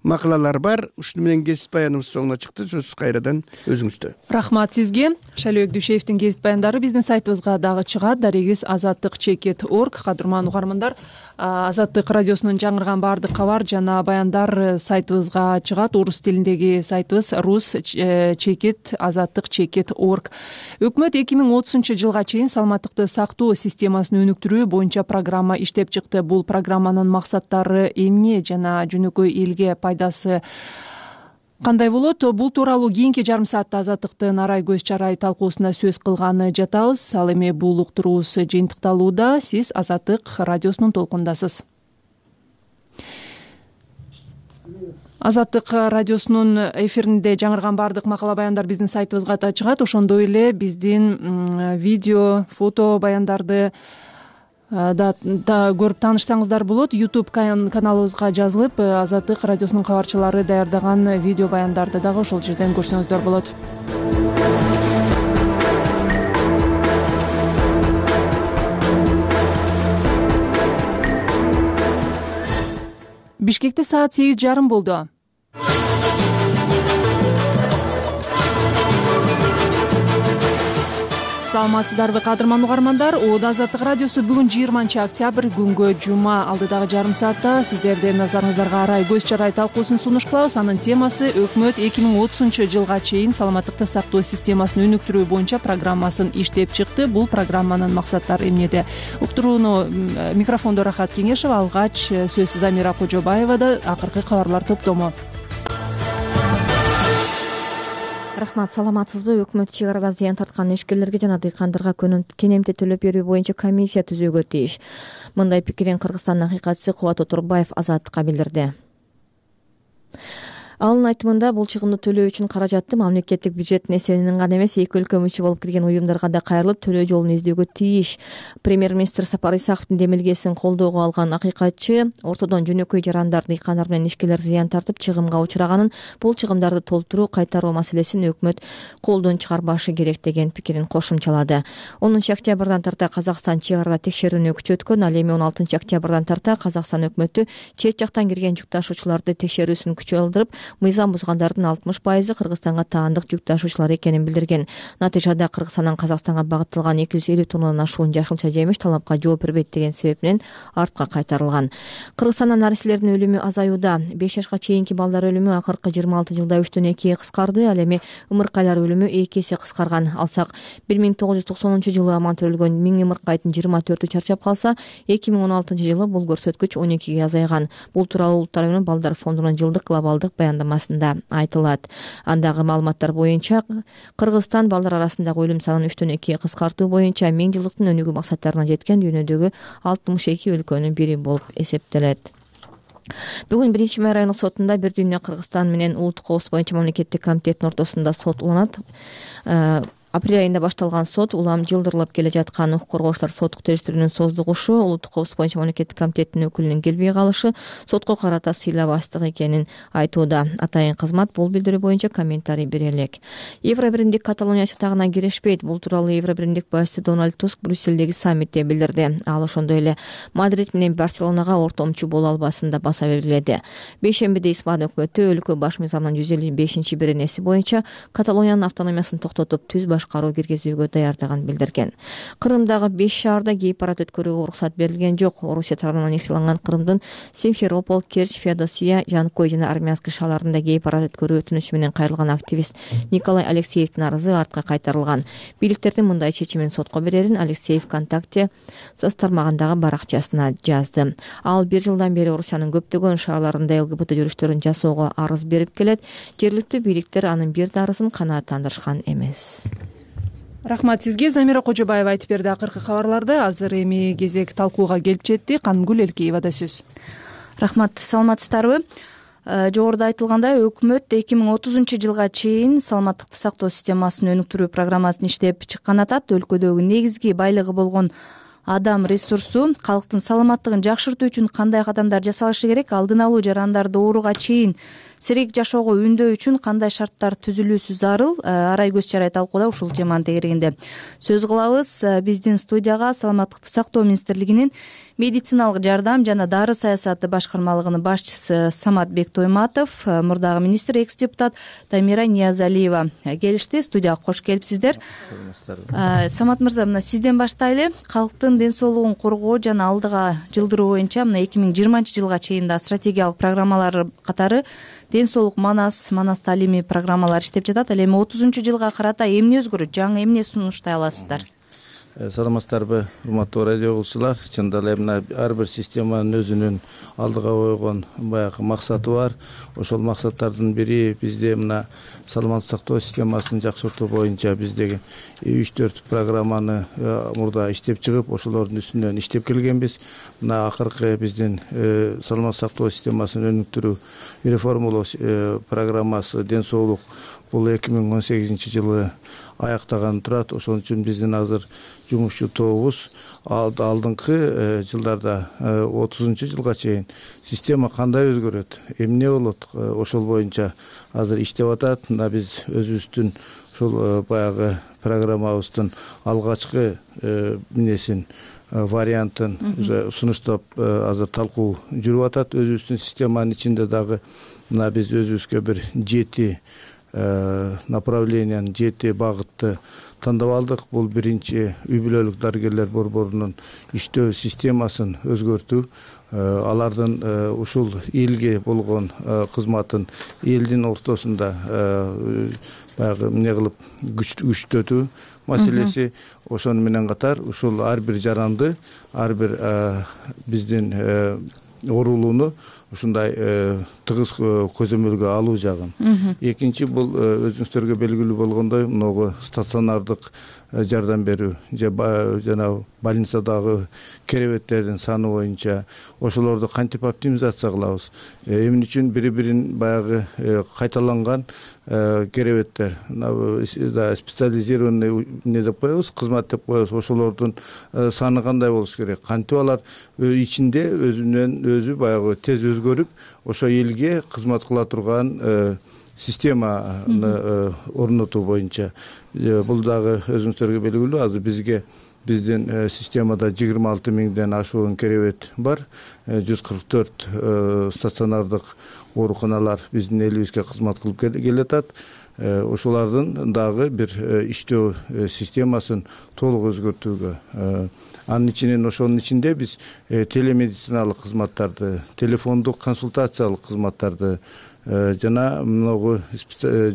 макалалар бар. Ушуну менен кесип баяныбыз соңуна чыкты. Сөз кайрадан өзүңүздө. Рахмат сизге. Шайлоо Өкдүшевдин кесип баяндары биздин сайтыбызга дагы чыгат. Дарегибиз азаттык чекит точка орг. Кадырман угармандар, Азаттык радиосунун жаңырган баардык кабар жана баяндар сайтыбызга чыгат. Орус тилиндеги сайтыбыз рус чекит азаттык чекит точка орг. Өкмөт эки миң отузунчу жылга чейин саламаттыкты сактоо системасын өнүктүрүү боюнча программа иштеп чыкты. Бул программанын максаттары эмне жана жөнөкөй элге пайдасы кандай болот? Бул тууралуу кийинки жарым саатта Азаттыктын арай көз чарай талкуусунда сөз кылганы жатабыз. Ал эми бул уктуруубуз жыйынтыкталууда. Сиз Азаттык радиосунун толкундасыз. Азаттык радиосунун эфиринде жаңырган баардык макала баяндар биздин сайтыбызга да чыгат. Ошондой эле биздин видео, фото баяндарды да көрүп таанышсаңыздар болот. YouTube каналыбызга жазылып, Азаттык радиосунун кабарчылары даярдаган видео баяндарды дагы ошол жерден көрсөңүздөр болот. Бишкекте саат сегиз жарым болду. Саламатсыздарбы кадырман угармандар? Оодо Азаттык радиосу бүгүн жыйырманчы октябрь күнгө жума. Алдыдагы жарым саатта сиздердин назарыңыздарга арай көз чарай талкуусун сунуш кылабыз. Анын темасы өкмөт эки миң отузунчу жылга чейин саламаттыкты сактоо системасын өнүктүрүү боюнча программасын иштеп чыкты. Бул программанын максаттары эмнеде? Уктурууну микрофондо Рахат Кеңешова, алгач сөз Замира Кожобаевада. Акыркы кабарлар топтому. Рахмат, саламатсызбы? Өкмөт чек арада зыян тарткан ишкерлерге жана дыйкандарга кенемте төлөп берүү боюнча комиссия түзүүгө тийиш. Мындай пикирин Кыргызстандын акыйкатчысы Кубат Отурбаев Азаттыкка билдирди. Анын айтымында бул чыгымды төлөө үчүн каражатты мамлекеттик бюджеттин эсебинен гана эмес, эки өлкө мүчө болуп кирген уюмдарга да кайрылып төлөө жолун издөөгө тийиш. Премьер-министр Сапар Исаковдун демилгесин колдоого алган акыйкатчы ортодон жөнөкөй жарандар, дыйкандар менен ишкерлер зыян тартып чыгымга учураганын, бул чыгымдарды толтуруу, кайтаруу маселесин өкмөт колдон чыгарбашы керек деген пикирин кошумчалады. онунчу октябрдан тарта Казакстан чек арада текшерүүнү күчөткөн. Ал эми он алтынчы октябрдан тарта Казакстан өкмөтү чет жактан кирген жүк ташуучуларды текшерүүсүн күчөтүп, мыйзам бузгандардын алтымыш пайызы Кыргызстанга таандык жүк ташуучулар экенин билдирген. Натыйжада Кыргызстандан Казакстанга багытталган эки жүз элүү тоннадан ашуун жашылча жемиш талапка жооп бербейт деген себеп менен артка кайтарылган. Кыргызстанда нариселердин өлүмү азаюуда. беш жашка чейинки балдар өлүмү акыркы жыйырма алты жылда үчтөн экиге кыскарды. Ал эми ымыркайлар өлүмү эки эсе кыскарган. Алсак бир миң тогуз жүз токсонунчу жылы аман төрөлгөн миң ымыркайдын жыйырма төртү чарчап калса, эки миң он алтынчы жылы бул көрсөткүч он экиге азайган. Бул тууралуу Улуттар менен балдар фондунун жылдык глобалдык баяндамасында айтылат. Андагы маалыматтар боюнча Кыргызстан балдар арасындагы өлүм санын үчтөн экиге кыскартуу боюнча миң жылдыктын өнүгүү максаттарына жеткен дүйнөдөгү алтымыш эки өлкөнүн бири болуп эсептелет. Бүгүн биринчи май райондук сотунда бир дүйнө Кыргызстан менен улуттук коопсуздук боюнча мамлекеттик комитеттин ортосунда сот уланат. Апрель айында башталган сот улам жылдырылып келе жаткан укук коргоочулар соттук териштирүүнүн создугушу, улуттук коопсуздук боюнча мамлекеттик комитеттин өкүлүнүн келбей калышы сотко карата сыйлабастык экенин айтууда. Атайын кызмат бул билдирүү боюнча комментарий бере элек. Евро биримдик Каталония чатагына кирешпейт. Бул тууралуу Евро биримдик башчысы Дональд Туск Брюссельдеги саммитте билдирди. Ал ошондой эле Мадрид менен Барселонага ортомчу боло албасын да баса белгиледи. Бейшембиде Испан өкмөтү өлкө баш мыйзамынын жүз элүү бешинчи беренеси боюнча Каталониянын автономиясын токтотуп түз башкаруу киргизүүгө даярдыгын билдирген. Кырымдагы беш шаарда гей парад өткөрүүгө уруксат берилген жок. Орусия тарабынан несияланган Кырымдын Симферополь, Керчь, Феодосия, Жанкой жана Армянский шаарларында гей парад өткөрүү өтүнүчү менен кайрылган активист Николай Алексеевдин арызы артка кайтарылган. Бийликтердин мындай чечимин сотко берерин Алексеев ВКонтакте соц тармагындагы баракчасына жазды. Ал бир жылдан бери Орусиянын көптөгөн шаарларында ЛГБТ жүрүштөрүн жасоого арыз берип келет. Жергиликтүү бийликтер анын бир да арызын канааттандырышкан эмес. Рахмат сизге. Замира Кожобаева айтып берди акыркы кабарларды. Азыр эми кезек талкууга келип жетти. Канымгүл Элкеевада сөз. Рахмат, саламатсыздарбы? Жогоруда айтылгандай, өкмөт эки миң отузунчу жылга чейин саламаттыкты сактоо системасын өнүктүрүү программасын иштеп чыккан атат. Өлкөдөгү негизги байлыгы болгон адам ресурсу, калктын саламаттыгын жакшыртуу үчүн кандай кадамдар жасалышы керек, алдын алуу жарандарды ооруга чейин сейрек жашоого үндөө үчүн кандай шарттар түзүлүүсү зарыл, арай көз чарай талкууда ушул теманын тегерегинде сөз кылабыз. Биздин студияга Саламаттыкты сактоо министрлигинин медициналык жардам жана дары саясаты башкармалыгынын башчысы Самат Бектойматов, мурдагы министр, экс депутат Тамира Ниязалиева келишти. Студияга кош келипсиздер. Самат мырза, мына сизден баштайлы. Калктын ден соолугун коргоо жана алдыга жылдыруу боюнча мына эки миң жыйырманчы жылга чейин да стратегиялык программалар катары ден соолук манас, манас таалимий программалар иштеп жатат. Ал эми отузунчу жылга карата эмне өзгөрөт? Жаңы эмне сунуштай аласыздар? Саламатсыздарбы, урматтуу радио угуучулар. Чындап эле мына ар бир системанын өзүнүн алдыга койгон баягы максаты бар. Ошол максаттардын бири бизде мына саламаттык сактоо системасын жакшыртуу боюнча биздеги үч төрт программаны мурда иштеп чыгып, ошолордун үстүнөн иштеп келгенбиз. Мына акыркы биздин саламаттык сактоо системасын өнүктүрүү реформалоо программасы ден соолук бул эки миң он сегизинчи жылы аяктаган турат. Ошон үчүн биздин азыр жумушчу тобубуз алдыңкы жылдарда отузунчу жылга чейин система кандай өзгөрөт, эмне болот, ошол боюнча азыр иштеп атат. Мына биз өзүбүздүн ошол баягы программабыздын алгачкы эмнесин вариантын сунуштап азыр талкуу жүрүп атат. Өзүбүздүн системанын ичинде дагы мына биз өзүбүзгө бир жети направлениянын жети багытты тандап алдык. Бул биринчи үй бүлөлүк дарыгерлер борборунун иштөө системасын өзгөртүү, алардын ушул элге болгон кызматын элдин ортосунда баягы эмне кылып күчтөтүү маселеси. Ошону менен катар ушул ар бир жаранды, ар бир биздин оорулууну ушундай тыгыз көзөмөлгө алуу жагын. Экинчи бул өзүңүздөргө белгилүү болгондой могу стационардык жардам берүү жана больницадагы керебеттердин саны боюнча ошолорду кантип оптимизация кылабыз, эмне үчүн бири бирин баягы кайталанган керебеттер специализированный эмне деп коебуз, кызмат деп коебуз, ошолордун саны кандай болуш керек, кантип алар ичинде өзүнөн өзү баягы тез өзгөрүп ошо элге кызмат кыла турган системаны орнотуу боюнча. Бул дагы өзүңүздөргө белгилүү. Азыр бизге биздин системада жыйырма алты миңден ашуун керебет бар. жүз кырк төрт стационардык ооруканалар биздин элибизге кызмат кылып келатат. Ошолардын дагы бир иштөө системасын толук өзгөртүүгө, анын ичинен ошонун ичинде биз телемедициналык кызматтарды, телефондук консультациялык кызматтарды жана многу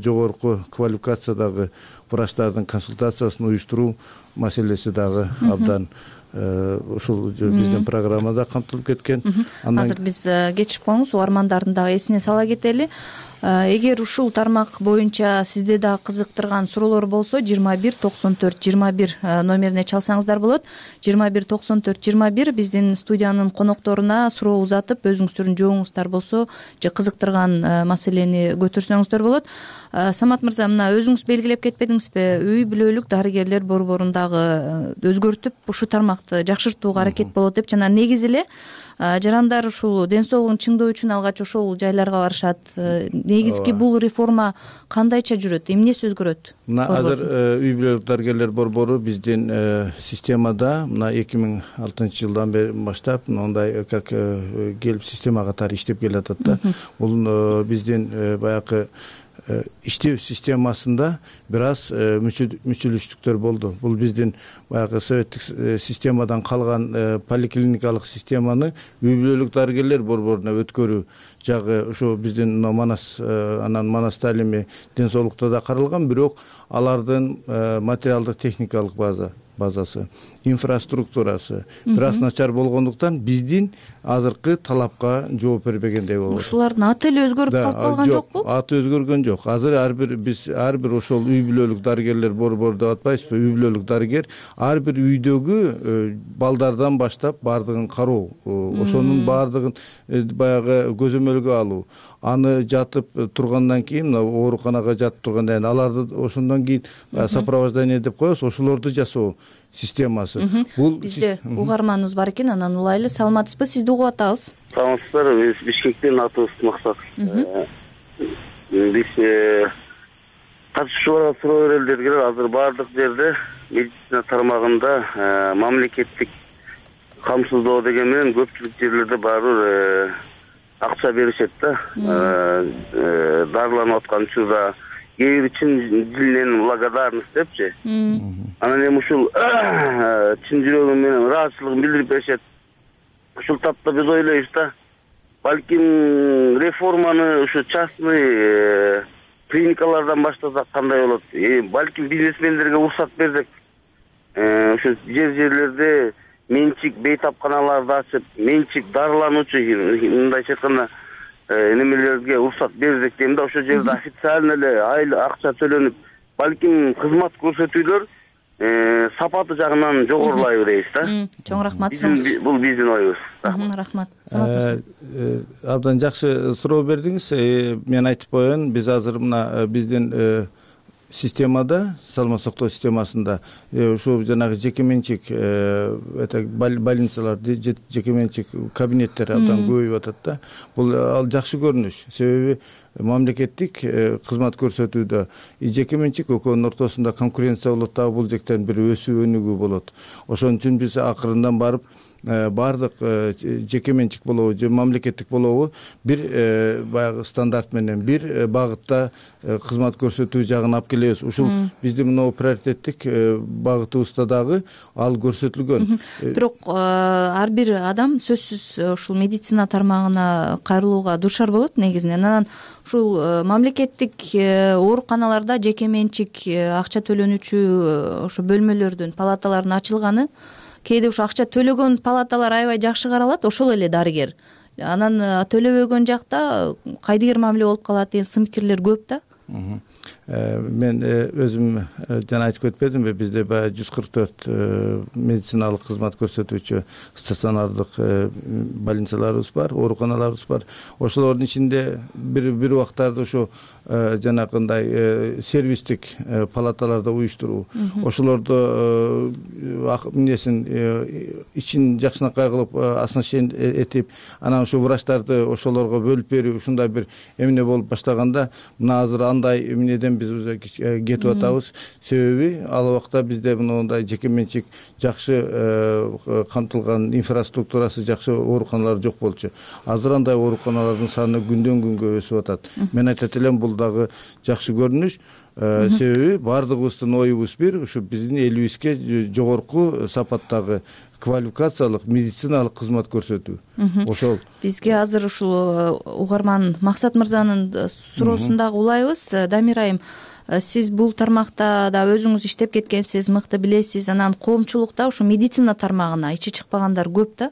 жогорку квалификациядагы врачтардын консультациясын уюштуруу маселеси дагы абдан ушул биздин программада камтылып кеткен. Азыр биз кетишип коебуз, угармандардын дагы эсине сала кетели. Эгер ушул тармак боюнча сизде дагы кызыктырган суроолор болсо, жыйырма бир токсон төрт жыйырма бир номерине чалсаңыздар болот. жыйырма бир токсон төрт жыйырма бир биздин студиянын конокторуна суроо узатып, өзүңүздөрдүн жообуңуздар болсо же кызыктырган маселени көтөрсөңүздөр болот. Самат мырза, мына өзүңүз белгилеп кетпедиңизби, үй бүлөлүк дарыгерлер борборундагы өзгөртүп ушу тармакты жакшыртууга аракет болот деп, жана негизи эле жарандар ушул ден соолугун чыңдоо үчүн алгач ошол жайларга барышат. Негизги бул реформа кандайча жүрөт, эмнеси өзгөрөт? Мына азыр үй бүлөлүк дарыгерлер борбору биздин системада мына эки миң алтынчы жылдан бери баштап мындай как келип система катары иштеп келатат да. Бул биздин баягы иштөө системасында бир аз мүчүлүштүктөр болду. Бул биздин баягы советтик системадан калган поликлиникалык системаны үй бүлөлүк дарыгерлер борборуна өткөрүү жагы ошо биздин манас, анан манас таалими ден соолукта да каралган, бирок алардын материалдык техникалык база базасы, инфраструктурасы бир аз начар болгондуктан биздин азыркы талапка жооп бербегендей болот. Ушулардын аты эле өзгөрүп калып калган жокпу? Аты өзгөргөн жок. Азыр ар бир биз ар бир ошол үй бүлөлүк дарыгерлер борбору деп атпайбызбы? Үй бүлөлүк дарыгер ар бир үйдөгү балдардан баштап баардыгын кароо, ошонун баардыгын баягы көзөмөлгө алуу, аны жатып тургандан кийин мына ооруканага жатып тургандан кийин аларды ошондон кийин сопровождение деп коебуз, ошолорду жасоо системасы. Бул бизде угарманыбыз бар экен, анан улайлы. Саламатсызбы? Сизди угуп атабыз. Саламатсыздар, биз Бишкектен, атыбыз Максат. биз катышуучуларга суроо берели дегиле азыр баардык жерде медицина тармагында мамлекеттик камсыздоо деген менен көпчүлүк жерлерде баары бир акча беришет да. Дарыланып аткан учурда кээ бир чын дилинен благодарность депчи. Анан эми ушул чын жүрөгү менен ыраазычылыгын билдирип беришет. Ушул тапта биз ойлойбуз да, балким реформаны ушу частный клиникалардан баштасак кандай болот? Балким бизнесмендерге уруксат берсек, ушу жер жерлерде менчик бейтапканаларды ачып, менчик дарылануучу мындайча айтканда немелерге уруксат берсек дейм да, ошол жерде официально эле айлы акча төлөнүп, балким кызмат көрсөтүүлөр сапаты жагынан жогорулай беребиз да. Чоң рахмат. Бул биздин оюбуз. Рахмат. Самат абдан жакшы суроо бердиңиз. Мен айтып коеюн, биз азыр мына биздин системада, саламаттык сактоо системасында ушул жанагы жеке менчик больницалар, жеке менчик кабинеттер абдан көбөйүп атат да. Бул ал жакшы көрүнүш. Себеби мамлекеттик кызмат көрсөтүүдө жеке менчик экөөнүн ортосунда конкуренция болот да, бул жактан бир өсүү өнүгүү болот. Ошон үчүн биз акырындан барып баардык жеке менчик болобу же мамлекеттик болобу бир баягы стандарт менен бир багытта кызмат көрсөтүү жагын алып келебиз. Ушул биздин мына приоритеттик багытыбызда дагы ал көрсөтүлгөн. Бирок ар бир адам сөзсүз ушул медицина тармагына кайрылууга дуушар болот негизинен. Анан ушул мамлекеттик ооруканаларда жеке менчик акча төлөнүүчү ошо бөлмөлөрдүн, палаталардын ачылганы кээде ушу акча төлөгөн палаталар аябай жакшы каралат, ошол эле дарыгер. Анан төлөбөгөн жакта кайдыгер мамиле болуп калат деген сын пикирлер көп да. Мен өзүм жана айтып кетпедимби, бизде баягы жүз кырк төрт медициналык кызмат көрсөтүүчү стационардык больницаларыбыз бар, ооруканаларыбыз бар. Ошолордун ичинде бир бир убактарда ошо жанакындай сервистик палаталарда уюштуруу, ошолордо эмнесин ичин жакшынакай кылып оснащение этип, анан ошо врачтарды ошолорго бөлүп берүү, ушундай бир эмне болуп баштаганда, мына азыр андай эмнеден биз уже кетип атабыз. Себеби ал убакта бизде мындай жеке менчик жакшы камтылган, инфраструктурасы жакшы ооруканалар жок болчу. Азыр андай ооруканалардын саны күндөн күнгө өсүп атат. Мен айтат элем, бул дагы жакшы көрүнүш. Себеби баардыгыбыздын оюбуз бир, ушу биздин элибизге жогорку сапаттагы квалификациялык медициналык кызмат көрсөтүү. Ошол бизге азыр ушул угарман Максат мырзанын суроосун дагы улайбыз. Дамир айым, сиз бул тармакта да өзүңүз иштеп кеткенсиз, мыкты билесиз. Анан коомчулукта ушу медицина тармагына ичи чыкпагандар көп да.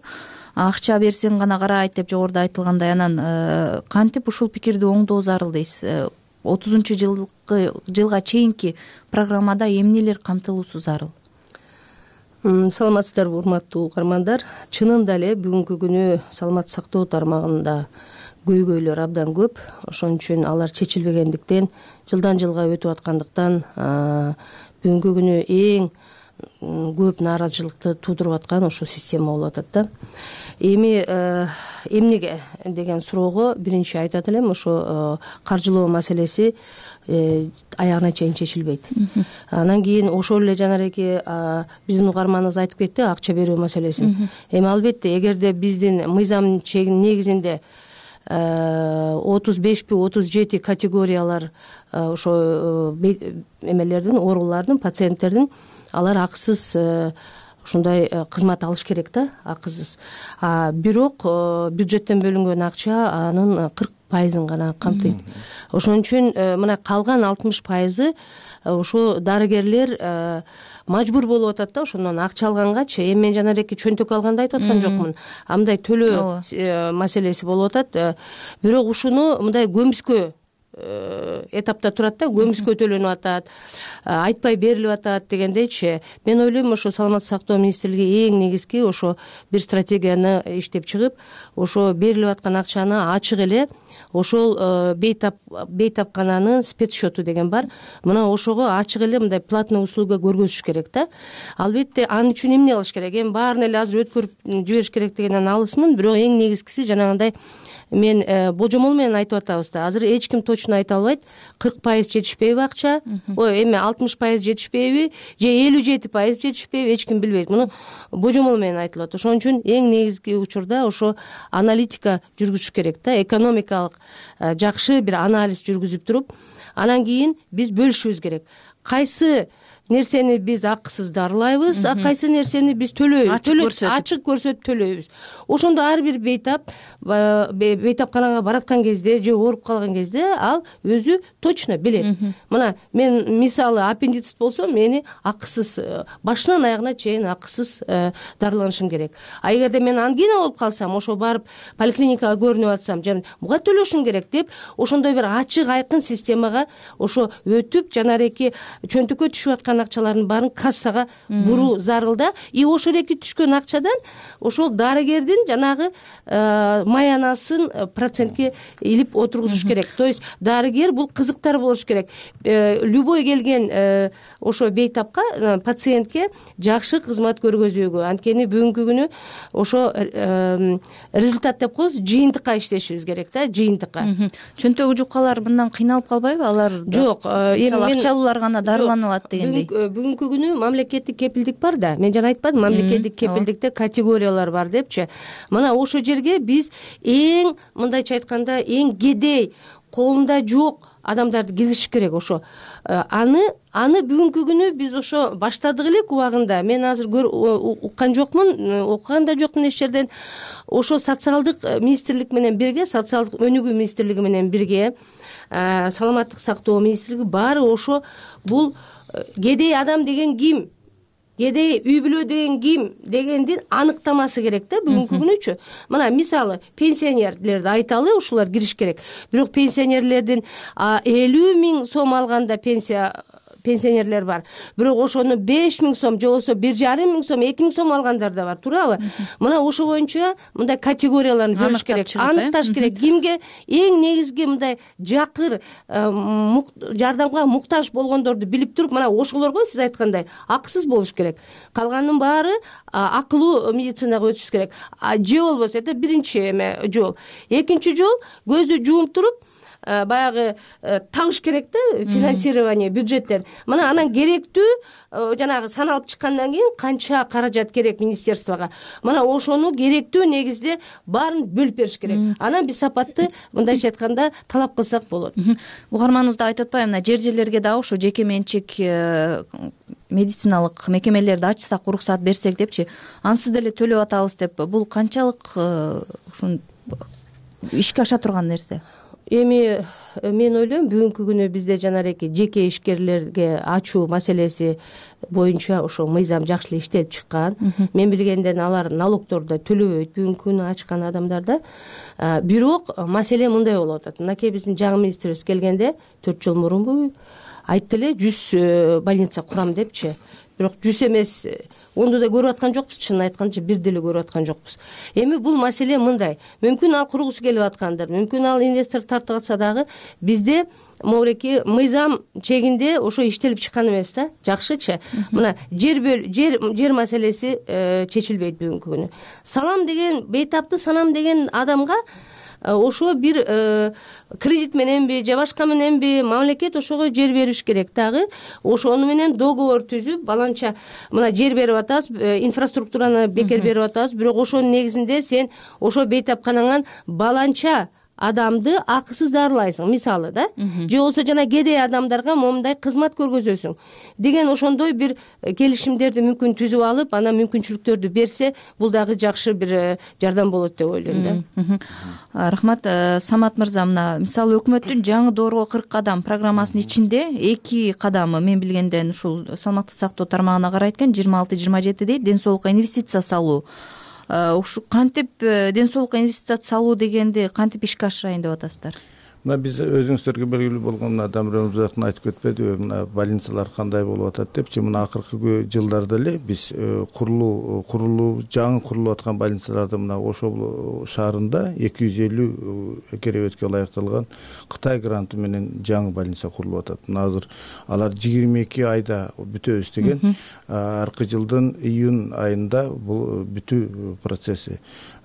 Акча берсең гана карайт деп жогоруда айтылгандай. Анан кантип ушул пикирди оңдоо зарыл дейсиз? отузунчу жылга чейинки программада эмнелер камтылуусу зарыл? Саламатсыздарбы, урматтуу угармандар. Чынында эле бүгүнкү күнү саламаттык сактоо тармагында көйгөйлөр абдан көп. Ошон үчүн алар чечилбегендиктен, жылдан жылга өтүп аткандыктан бүгүнкү күнү эң көп нааразычылыкты туудуруп аткан ошо система болуп атат да. Эми эмнеге деген суроого биринчи айтат элем, ошо каржылоо маселеси аягына чейин чечилбейт. Анан кийин ошол эле жанареки биздин угарманыбыз айтып кетти, акча берүү маселесин. Эми албетте, эгерде биздин мыйзам негизинде отуз бешпи отуз жети категориялар ошо эмелердин, оорулардын, пациенттердин алар акысыз ушундай кызмат алыш керек да, акысыз. Бирок бюджеттен бөлүнгөн акча анын кырк пайызын гана камтыйт. Ошон үчүн мына калган алтымыш пайызы ошо дарыгерлер мажбур болуп атат да, ошондон акча алгангачы. Эми мен жанареки чөнтөк алганды айтып аткан жокмун. Андай төлөө маселеси болуп атат. Бирок ушуну мындай көмүскө этапта турат да, көмүскө төлөнүп атат, айтпай берилип атат дегендейчи. Мен ойлойм, ошо саламаттык сактоо министрлиги эң негизги ошо бир стратегияны иштеп чыгып, ошо берилип аткан акчаны ачык эле ошол бейтап бейтапкананын спецсчету деген бар. Мына ошого ачык эле мындай платный услуга көргөзүш керек да. Албетте анын үчүн эмне кылыш керек? Эми баарын эле азыр өткөрүп жибериш керек дегенден алысмын, бирок эң негизгиси жанагындай мен божомол менен айтып атабыз да, азыр эч ким точно айта албайт кырк пайыз жетишпейби акча, ой эме алтымыш пайыз жетишпейби же элүү жети пайыз жетишпейби, эч ким билбейт. Муну божомол менен айтылат. Ошон үчүн эң негизги учурда ошо аналитика жүргүзүш керек да, экономикалык жакшы бир анализ жүргүзүп туруп, анан кийин биз бөлүшүбүз керек. Кайсы нерсени биз акысыз дарылайбыз, а кайсы нерсени биз төлөйбүз, ачык көрсөтүп төлөйбүз. Ошондо ар бир бейтап бейтапканага бараткан кезде же ооруп калган кезде ал өзү точно билет. Мына мен мисалы аппендицит болсо мени акысыз, башынан аягына чейин акысыз дарыланышым керек. А эгерде мен ангина болуп калсам, ошо барып поликлиникага көрүнүп атсам, жана буга төлөшүм керек деп, ошондой бир ачык айкын системага ошо өтүп, жанареки чөнтөккө түшүп аткан акчалардын баарын кассага буруу зарыл да. И ошол эки түшкөн акчадан ошол дарыгердин жанагы маянасын процентке илип отургузуш керек. То есть дарыгер бул кызыктар болуш керек. Любой келген ошо бейтапка, пациентке жакшы кызмат көргөзүүгө, анткени бүгүнкү күнү ошо результат деп коебуз, жыйынтыкка иштешибиз керек да, жыйынтыкка. Чөнтөгү жуккалар мындан кыйналып калбайбы? Алар жок, эми акча алуулар гана дарылана алат дегендей. Бүгүнкү күнү мамлекеттик кепилдик бар да. Мен жана айтпадым, мамлекеттик кепилдикте категориялар бар депчи. Мына ошол жерге биз эң, мындайча айтканда, эң кедей, колунда жок адамдарды киргизиш керек. Ошо аны аны бүгүнкү күнү биз ошо баштадык элек убагында. Мен азыр уккан жокмун, окуган да жокмун эч жерден. Ошо социалдык министрлик менен бирге, социалдык өнүгүү министрлиги менен бирге, саламаттык сактоо министрлиги баары ошо бул кедей адам деген ким, кедей үй бүлө деген ким дегендин аныктамасы керек да бүгүнкү күнүчү. Мына мисалы пенсионерлерди айталы, ушулар кириш керек. Бирок пенсионерлердин элүү миң сом алганда пенсия пенсионерлер бар. Бирок ошону беш миң сом же болбосо бир жарым миң сом, эки миң сом алгандар да бар, туурабы? Мына ошо боюнча мындай категорияларды бөлүш керек, аныкташ керек. Кимге эң негизги мындай жакыр жардамга муктаж болгондорду билип туруп, мына ошолорго сиз айткандай акысыз болуш керек. Калганын баары акылуу медицинага өтүш керек. Же болбосо это биринчи эме жол. Экинчи жол көздү жууп туруп баягы табыш керек да, финансирование бюджеттен. Мына анан керектүү жанагы саналып чыккандан кийин канча каражат керек министерствого. Мына ошону керектүү негизде баарын бөлүп бериш керек. Анан биз сапатты, мындайча айтканда, талап кылсак болот. Угарманыбыз да айтып атпайбы, мына жер-жерлерге да ошо жеке менчик медициналык мекемелерди ачсак, уруксат берсек депчи, ансыз деле төлөп атабыз деп, бул канчалык ушун ишке аша турган нерсе? Эми мен ойлойм, бүгүнкү күнү бизде жанареки жеке ишкерлерге ачуу маселеси боюнча ошо мыйзам жакшы эле иштелип чыккан. Мен билгенден алар налогторду да төлөбөйт бүгүнкү күнү ачкан адамдар да. Бирок маселе мындай болуп атат. Мынакей биздин жаңы министрибиз келгенде төрт жыл мурунбу айтты эле жүз больница курам депчи. Бирок жүз эмес, онду да көрүп аткан жокпуз, чынын айтканча бир деле көрүп аткан жокпуз. Эми бул маселе мындай. Мүмкүн ал кургусу келип аткандыр, мүмкүн ал инвестор тартып атса дагы, бизде могуреки мыйзам чегинде ошо иштелип чыккан эмес да. Жакшычы. Мына жер жер жер маселеси чечилбейт бүгүнкү күнү. Салам деген, бейтапты санам деген адамга ошо бир кредит мененби же башка мененби мамлекет ошого жер бериш керек дагы. Ошону менен договор түзүп, баланча мына жер берип атабыз, инфраструктураны бекер берип атабыз, бирок ошонун негизинде сен ошо бейтапканаңан баланча адамды акысыз дарылайсың, мисалы да. Же болбосо жана кедей адамдарга момундай кызмат көргөзөсүң деген ошондой бир келишимдерди мүмкүн түзүп алып, анан мүмкүнчүлүктөрдү берсе, бул дагы жакшы бир жардам болот деп ойлойм да. Рахмат, Самат мырза. Мына мисалы өкмөттүн жаңы доорго кырк кадам программасынын ичинде эки кадамы мен билгенден ушул саламаттык сактоо тармагына карай экен, жыйырма алты жыйырма жетиде ден соолукка инвестиция салуу. Ушу кантип ден соолукка инвестиция салуу дегенди кантип ишке ашырайын деп атасыздар? мына биз өзүңүздөргө белгилүү болгон мына Дамир Өмүрзаков айтып кетпедиби, мына больницалар кандай болуп атат депчи. Мына акыркы жылдарда эле биз курулуу курулуу жаңы курулуп аткан больницаларды мына Ошол шаарында эки жүз элүү керебетке ылайыкталган Кытай гранты менен жаңы больница курулуп атат. Мына азыр алар жыйырма эки айда бүтөбүз деген. Аркы жылдын июнь айында бул бүтүү процесси.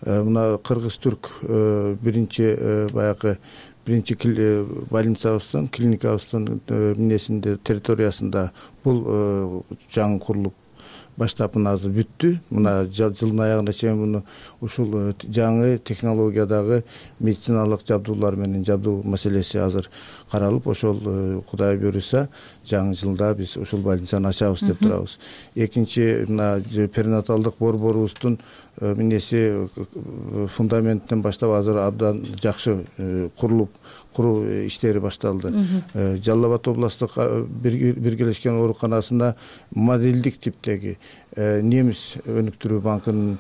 Мына Кыргыз-Түрк биринчи баягы биринчи больницабыздын, клиникабыздын эмнесинде территориясында бул жаңы курулуп баштап мына азыр бүттү. Мына жылдын аягына чейин муну ушул жаңы технологиядагы медициналык жабдуулар менен жабдуу маселеси азыр каралып, ошол Кудай буюрса жаңы жылда биз ушул больницаны ачабыз деп турабыз. Экинчи мына перинаталдык борборубуздун эмнеси фундаментинен баштап азыр абдан жакшы курулуп куруу иштери башталды. Жалал Абад областтык биргелешкен ооруканасында модельдик типтеги немис өнүктүрүү банкынын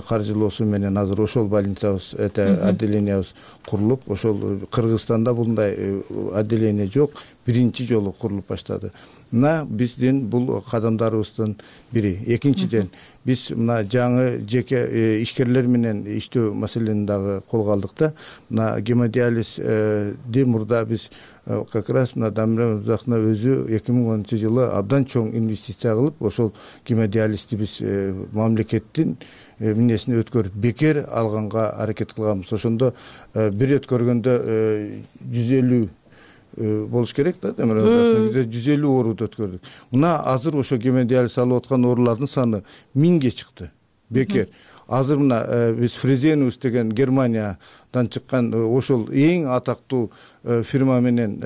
каржылоосу менен азыр ошол больницабыз, отделениябыз курулуп, ошол Кыргызстанда мындай отделение жок, биринчи жолу курулуп баштады. Мына биздин бул кадамдарыбыздын бири. Экинчиден биз мына жаңы жеке ишкерлер менен иштөө маселени дагы колго алдык да. Мына гемодиализди мурда биз как раз мына Дамир Өмүрзаковдун өзү эки миң онунчу жылы абдан чоң инвестиция кылып, ошол гемодиализди биз мамлекеттин эмнесине өткөрүп бекер алганга аракет кылганбыз. Ошондо бир өткөргөндө жүз элүү болуш керек да, демек жүз элүү ооруду өткөрдүк. Мына азыр ошо гемодиализ алып аткан оорулардын саны миңге чыкты. Бекер. Азыр мына биз Фрезенус деген Германиядан чыккан ошол эң атактуу фирма менен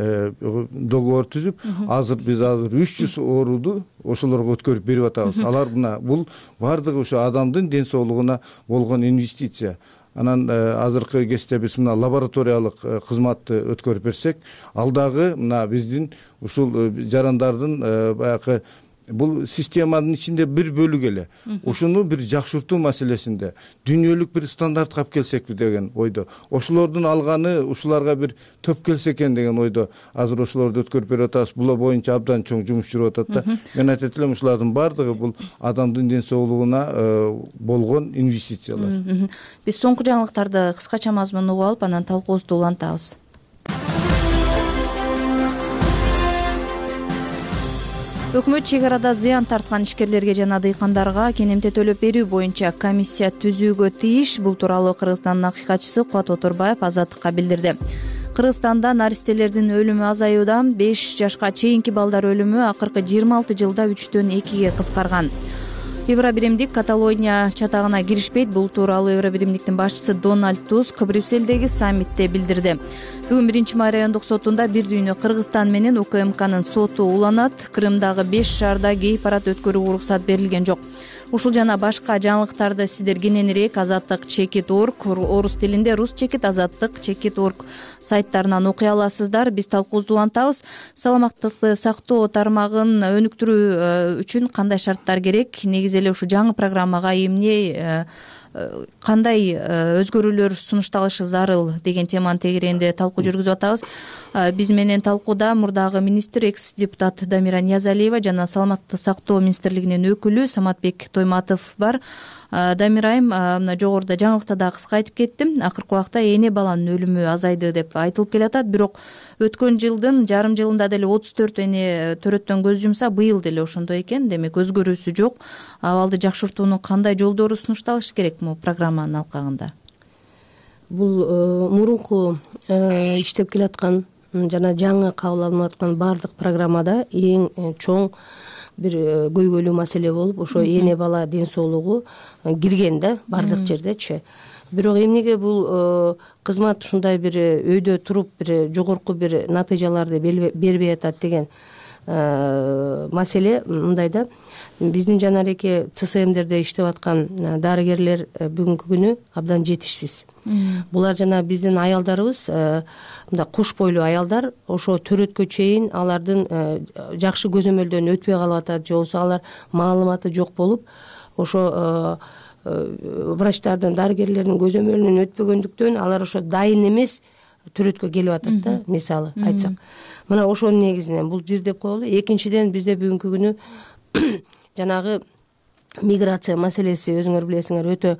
договор түзүп, азыр биз азыр үч жүз ооруду ошолорго өткөрүп берип атабыз. Алар мына бул бардыгы ошо адамдын ден соолугуна болгон инвестиция. Анан азыркы кезде биз мына лабораториялык кызматты өткөрүп берсек, ал дагы мына биздин ушул жарандардын баягы бул системанын ичинде бир бөлүк эле. Ошону бир жакшыртуу маселесинде дүйнөлүк бир стандартка алып келсекпи деген ойдо. Ошолордун алганы ушуларга бир төп келсе экен деген ойдо азыр ошолорду өткөрүп берип атабыз. Бул боюнча абдан чоң жумуш жүрүп атат да. Мен айтат элем, ушулардын бардыгы бул адамдын ден соолугуна болгон инвестициялар. Биз соңку жаңылыктарды кыскача мазмун угуп алып, анан талкуубузду улантабыз. Өкмөт чек арада зыян тарткан ишкерлерге жана дыйкандарга кенемте төлөп берүү боюнча комиссия түзүүгө тийиш. Бул тууралуу Кыргызстандын акыйкатчысы Кубат Отурбаев Азаттыкка билдирди. Кыргызстанда наристелердин өлүмү азаюуда. беш жашка чейинки балдар өлүмү акыркы жыйырма алты жылда үчтөн экиге кыскарган. Евробиримдик Каталония чатагына киришпейт. Бул тууралуу Евробиримдиктин башчысы Дональд Туск Брюссельдеги саммитте билдирди. Бүгүн биринчи май райондук сотунда бир дүйнө Кыргызстан менен УКМКнын соту уланат. Крымдагы беш шаарда гей парад өткөрүүгө уруксат берилген жок. Ушул жана башка жаңылыктарды сиздер кененирээк азаттык чекит точка орг, орус тилинде рус чекит, азаттык чекит точка орг сайттарынан окуй аласыздар. Биз талкуубузду улантабыз. Саламаттыкты сактоо тармагын өнүктүрүү үчүн кандай шарттар керек? Негизи эле ушу жаңы программага эмне кандай өзгөрүүлөр сунушталышы зарыл деген теманын тегерегинде талкуу жүргүзүп атабыз. Биз менен талкууда мурдагы министр, экс депутат Дамира Ниязалиева жана Саламаттыкты сактоо министрлигинин өкүлү Саматбек Тойматов бар. Дамира айым, мына жогоруда жаңылыкта да кыска айтып кеттим. Акыркы убакта эне баланын өлүмү азайды деп айтылып келатат. Бирок өткөн жылдын жарым жылында деле отуз төрт эне төрөттөн көз жумса, быйыл деле ошондой экен. Демек өзгөрүүсү жок. Абалды жакшыртуунун кандай жолдору сунушталышы керек му программанын алкагында? Бул мурунку иштеп келаткан жана жаңы кабыл алынып аткан баардык программада эң чоң бир көйгөйлүү маселе болуп, ошо эне бала ден соолугу кирген да баардык жердечи. Бирок эмнеге бул кызмат ушундай бир өйдө туруп бир жогорку бир натыйжаларды бербей атат деген маселе мындай да. Биздин жанареке ЦСМдерде иштеп аткан дарыгерлер бүгүнкү күнү абдан жетишсиз. Булар жана биздин аялдарыбыз, мындай куш бойлуу аялдар, ошо төрөткө чейин алардын жакшы көзөмөлдөн өтпөй калып атат, же болбосо алар маалыматы жок болуп, ошо врачтардын, дарыгерлердин көзөмөлүнөн өтпөгөндүктөн алар ошо дайын эмес төрөткө келип атат да, мисалы айтсак. Мына ошонун негизинен бул бир деп коелу. Экинчиден бизде бүгүнкү күнү жанагы миграция маселеси өзүңөр билесиңер өтө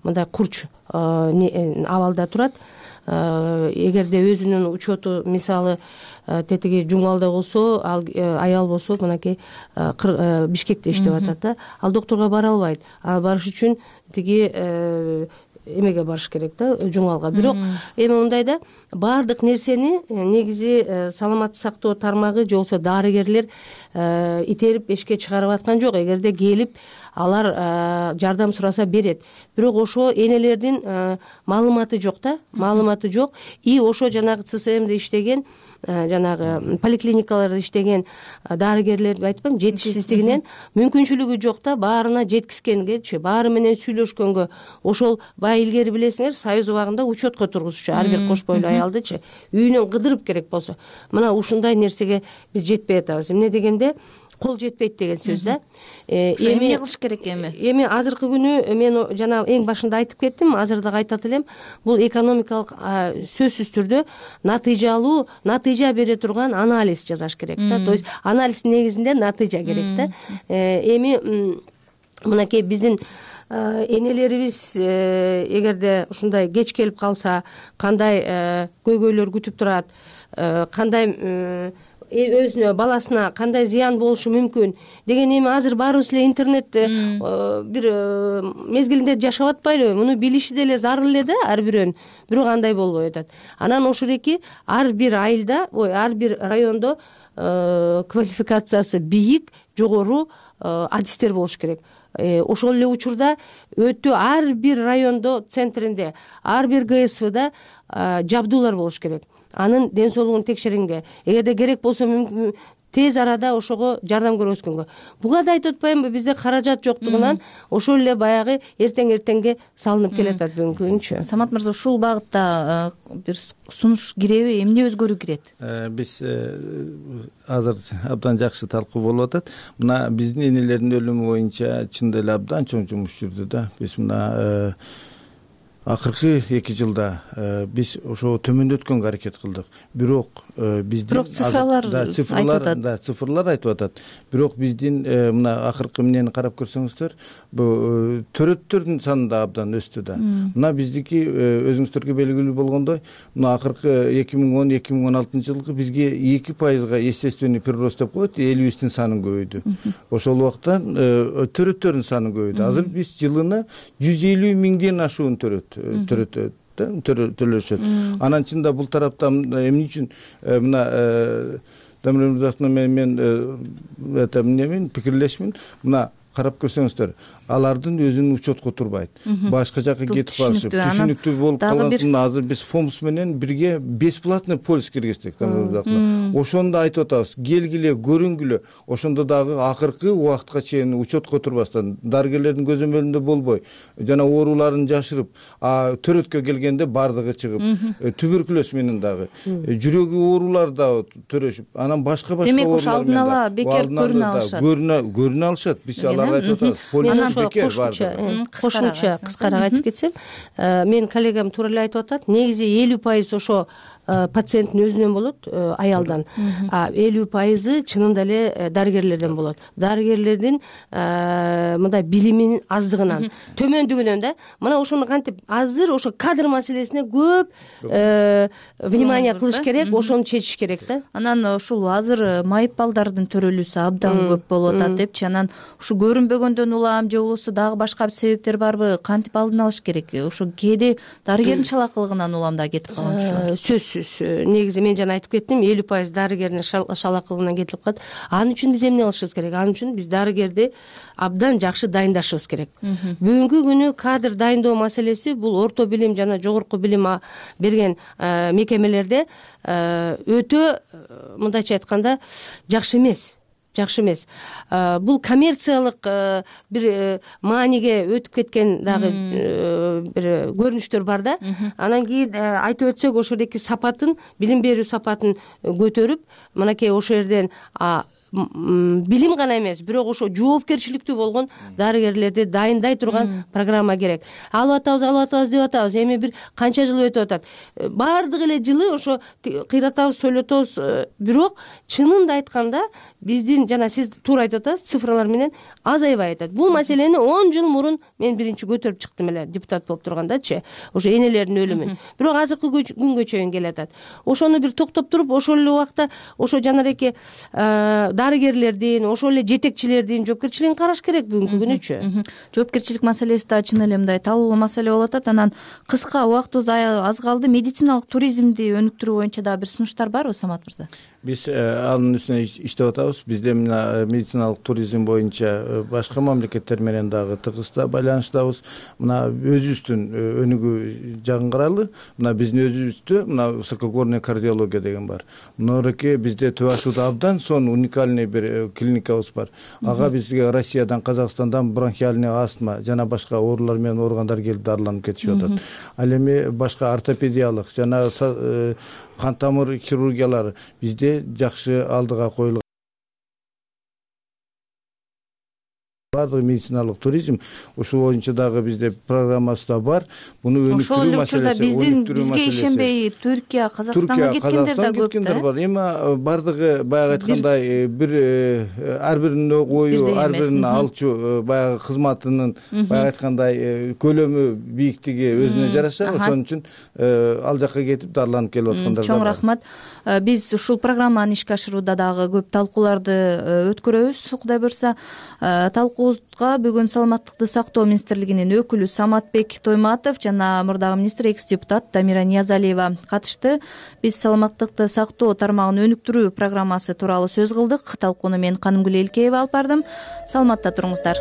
мындай курч абалда турат. Эгерде өзүнүн учету мисалы тетиги Жумалда болсо, ал аял болсо мынакей Бишкекте иштеп атат да, ал докторго бара албайт. А барыш үчүн тиги эмеге барыш керек да, Жумалга. Бирок эми мындай да, баардык нерсени негизи саламаттык сактоо тармагы же болбосо дарыгерлер итерип эшикке чыгарып аткан жок. Эгерде келип алар жардам сураса берет. Бирок ошо энелердин маалыматы жок да, маалыматы жок. И ошо жанагы ЦСМде иштеген, жанагы поликлиникаларда иштеген дарыгерлерди айтпайм, жетишсиздигинен мүмкүнчүлүгү жок да, баарына жеткизгенгечи, баары менен сүйлөшкөнгө. Ошол баягы илгери билесиңер, Союз убагында учетко тургузчу ар бир кош бойлуу аялдычы үйүнөн кыдырып керек болсо. Мына ушундай нерсеге биз жетпей атабыз. Эмне дегенде кол жетпейт деген сөз да. Эми эмне кылыш керек эми? Эми азыркы күнү мен жана эң башында айтып кеттим, азыр да кайтат элем. Бул экономикалык сөзсүз түрдө натыйжалуу, натыйжа бере турган анализ жасаш керек да. То есть анализдин негизинде натыйжа керек да. Эми мынакей биздин энелерибиз эгерде ушундай кеч келип калса, кандай көйгөйлөр күтүп турат, кандай өзүнө, баласына кандай зыян болушу мүмкүн деген, эми азыр баарыбыз эле интернетте бир мезгилинде жашап атпайлыбы? Муну билиши деле зарыл эле да ар бирөөнүн. Бирок андай болбой атат. Анан ошол эки ар бир айылда, ой, ар бир райондо квалификациясы бийик, жогору адистер болуш керек. Ошол эле учурда өтө ар бир райондо, центринде, ар бир ГСВда жабдуулар болуш керек. Анын ден соолугун текшергенге, эгерде керек болсо тез арада ошого жардам көрсөткөнгө. Буга да айтып атпаймынбы, бизде каражат жоктугунан ошол эле баягы эртең-эртеңге салынып келатат бүгүнкү күнчү. Самат мырза, ушул багытта бир сунуш киреби, эмне өзгөрүү кирет? Биз азыр абдан жакшы талкуу болуп атат. Мына биздин энелердин өлүмү боюнча чындап эле абдан чоң жумуш жүрдү да. Биз мына акыркы эки жылда биз ошо төмөндөткөнгө аракет кылдык. Бирок биздин бирок цифрлар айтып атат. Да, цифрлар айтып атат. Бирок биздин мына акыркы эмнени карап көрсөңүздөр, бул төрөттөрдүн саны да абдан өстү да. Мына биздики өзүңүздөргө белгилүү болгондой, мына акыркы эки миң он эки миң он алтынчы жылкы бизге эки пайызга естественный прирост деп коет, элибиздин саны көбөйдү. Ошол убакта төрөттөрдүн саны көбөйдү. Азыр биз жылына жүз элүү миңден ашуун төрөт төрөтөт да, төлөшөт. Анан чында бул тарапта эмне үчүн мына Дамир Мырзаевна менен мен эмнемин пикирлешмин. Мына карап көрсөңүздөр, алардын өзүнүн учетко турбайт. Башка жака кетип калышып, түшүнүктүү болуп калган. Азыр биз ФОМС менен бирге бесплатный полис киргиздик. Ошондо айтып атабыз, келгиле, көрүнгүлө. Ошондо дагы акыркы убакытка чейин учетко турбастан, дарыгерлердин көзөмөлүндө болбой, жана ооруларын жашырып, а төрөткө келгенде бардыгы чыгып, туберкулез менен дагы, жүрөгү оорулар дагы төрөшүп, анан башка башка оорулар. Демек ошо алдын ала бекер көрүнө алышат. Көрүнө алышат. Биз аларга айтып атабыз. Кошумча кыскараак айтып кетсем, менин коллегам туура эле айтып атат. Негизи элүү пайыз ошо пациенттин өзүнөн болот, аялдан. А элүү пайызы чынында эле дарыгерлерден болот. Дарыгерлердин мындай билиминин аздыгынан, төмөндүгүнөн да. Мына ошону кантип азыр ошо кадр маселесине көп внимание кылыш керек, ошону чечиш керек да. Анан ушул азыр майып балдардын төрөлүүсү абдан көп болуп атат депчи. Анан ушу көрүнбөгөндөн улам же болбосо дагы башка себептер барбы? Кантип алдын алыш керек? Ошо кээде дарыгердин шалакылыгынан улам да кетип калган ушулар. Сөзсүз. Негизи мен жана айтып кеттим, элүү пайыз дарыгердин шалакылыгынан кетип калат. Анын үчүн биз эмне кылышыбыз керек? Анын үчүн биз дарыгерди абдан жакшы дайындашыбыз керек. Бүгүнкү күнү кадр дайындоо маселеси бул орто билим жана жогорку билим берген мекемелерде өтө, мындайча айтканда, жакшы эмес. Жакшы эмес. Бул коммерциялык бир мааниге өтүп кеткен дагы бир көрүнүштөр бар да. Анан кийин айтып өтсөк, ошол эки сапатын, билим берүү сапатын көтөрүп, мынакей ошол жерден билим гана эмес, бирок ошо жоопкерчиликтүү болгон дарыгерлерди дайындай турган программа керек. Алып атабыз, алып атабыз деп атабыз. Эми бир канча жыл өтүп атат. Баардык эле жылы ошо кыйратабыз, сүйлөтөбүз. Бирок чынында айтканда биздин жана сиз туура айтып атасыз, цифралар менен азайбай атат. Бул маселени он жыл мурун мен биринчи көтөрүп чыктым эле депутат болуп тургандачы, ошо энелердин өлүмүн. Бирок азыркы күнгө чейин келатат. Ошону бир токтоп туруп, ошол эле убакта ошо жанареки дарыгерлердин, ошол эле жетекчилердин жоопкерчилигин караш керек бүгүнкү күнүчү. Жоопкерчилик маселеси да чын эле мындай талкуулуу маселе болуп атат. Анан кыска убактыбыз аз калды. Медициналык туризмди өнүктүрүү боюнча дагы бир сунуштар барбы, Самат мырза? Биз анын үстүнө иштеп атабыз. Бизде мына медициналык туризм боюнча башка мамлекеттер менен дагы тыгыз байланыштабыз. Мына өзүбүздүн өнүгүү жагын карайлы. Мына биздин өзүбүздө мына высокогорная кардиология деген бар. Мынореке бизде Түп Ашууда абдан сонун уникальный бир клиникабыз бар. Ага бизге Россиядан, Казакстандан бронхиальный астма жана башка оорулар менен ооругандар келип дарыланып кетишип атат. Ал эми башка ортопедиялык жана кан тамыр хирургиялары бизде жакшы алдыга коюлган. Баардык медициналык туризм ушул боюнча дагы бизде программасы да бар. Буну өнүктүрүү маселеси. Биздин бизге ишенбей Түркия, Казакстанга кеткендер да көп да. Эми баардыгы баягы айткандай бир ар биринин ою, ар биринин алчу баягы кызматынын баягы айткандай көлөмү, бийиктиги өзүнө жараша. Ошон үчүн ал жака кетип дарыланып келип аткандар да. Чоң рахмат. Биз ушул программаны ишке ашырууда дагы көп талкууларды өткөрөбүз, Кудай буйрса. Талкуубузга бүгүн Саламаттыкты сактоо министрлигинин өкүлү Саматбек Тойматов жана мурдагы министр экс депутат Дамира Ниязалиева катышты. Биз Саламаттыкты сактоо тармагын өнүктүрүү программасы тууралуу сөз кылдык. Талкууну мен Канымгүл Элкеева алып бардым. Саламатта туруңуздар.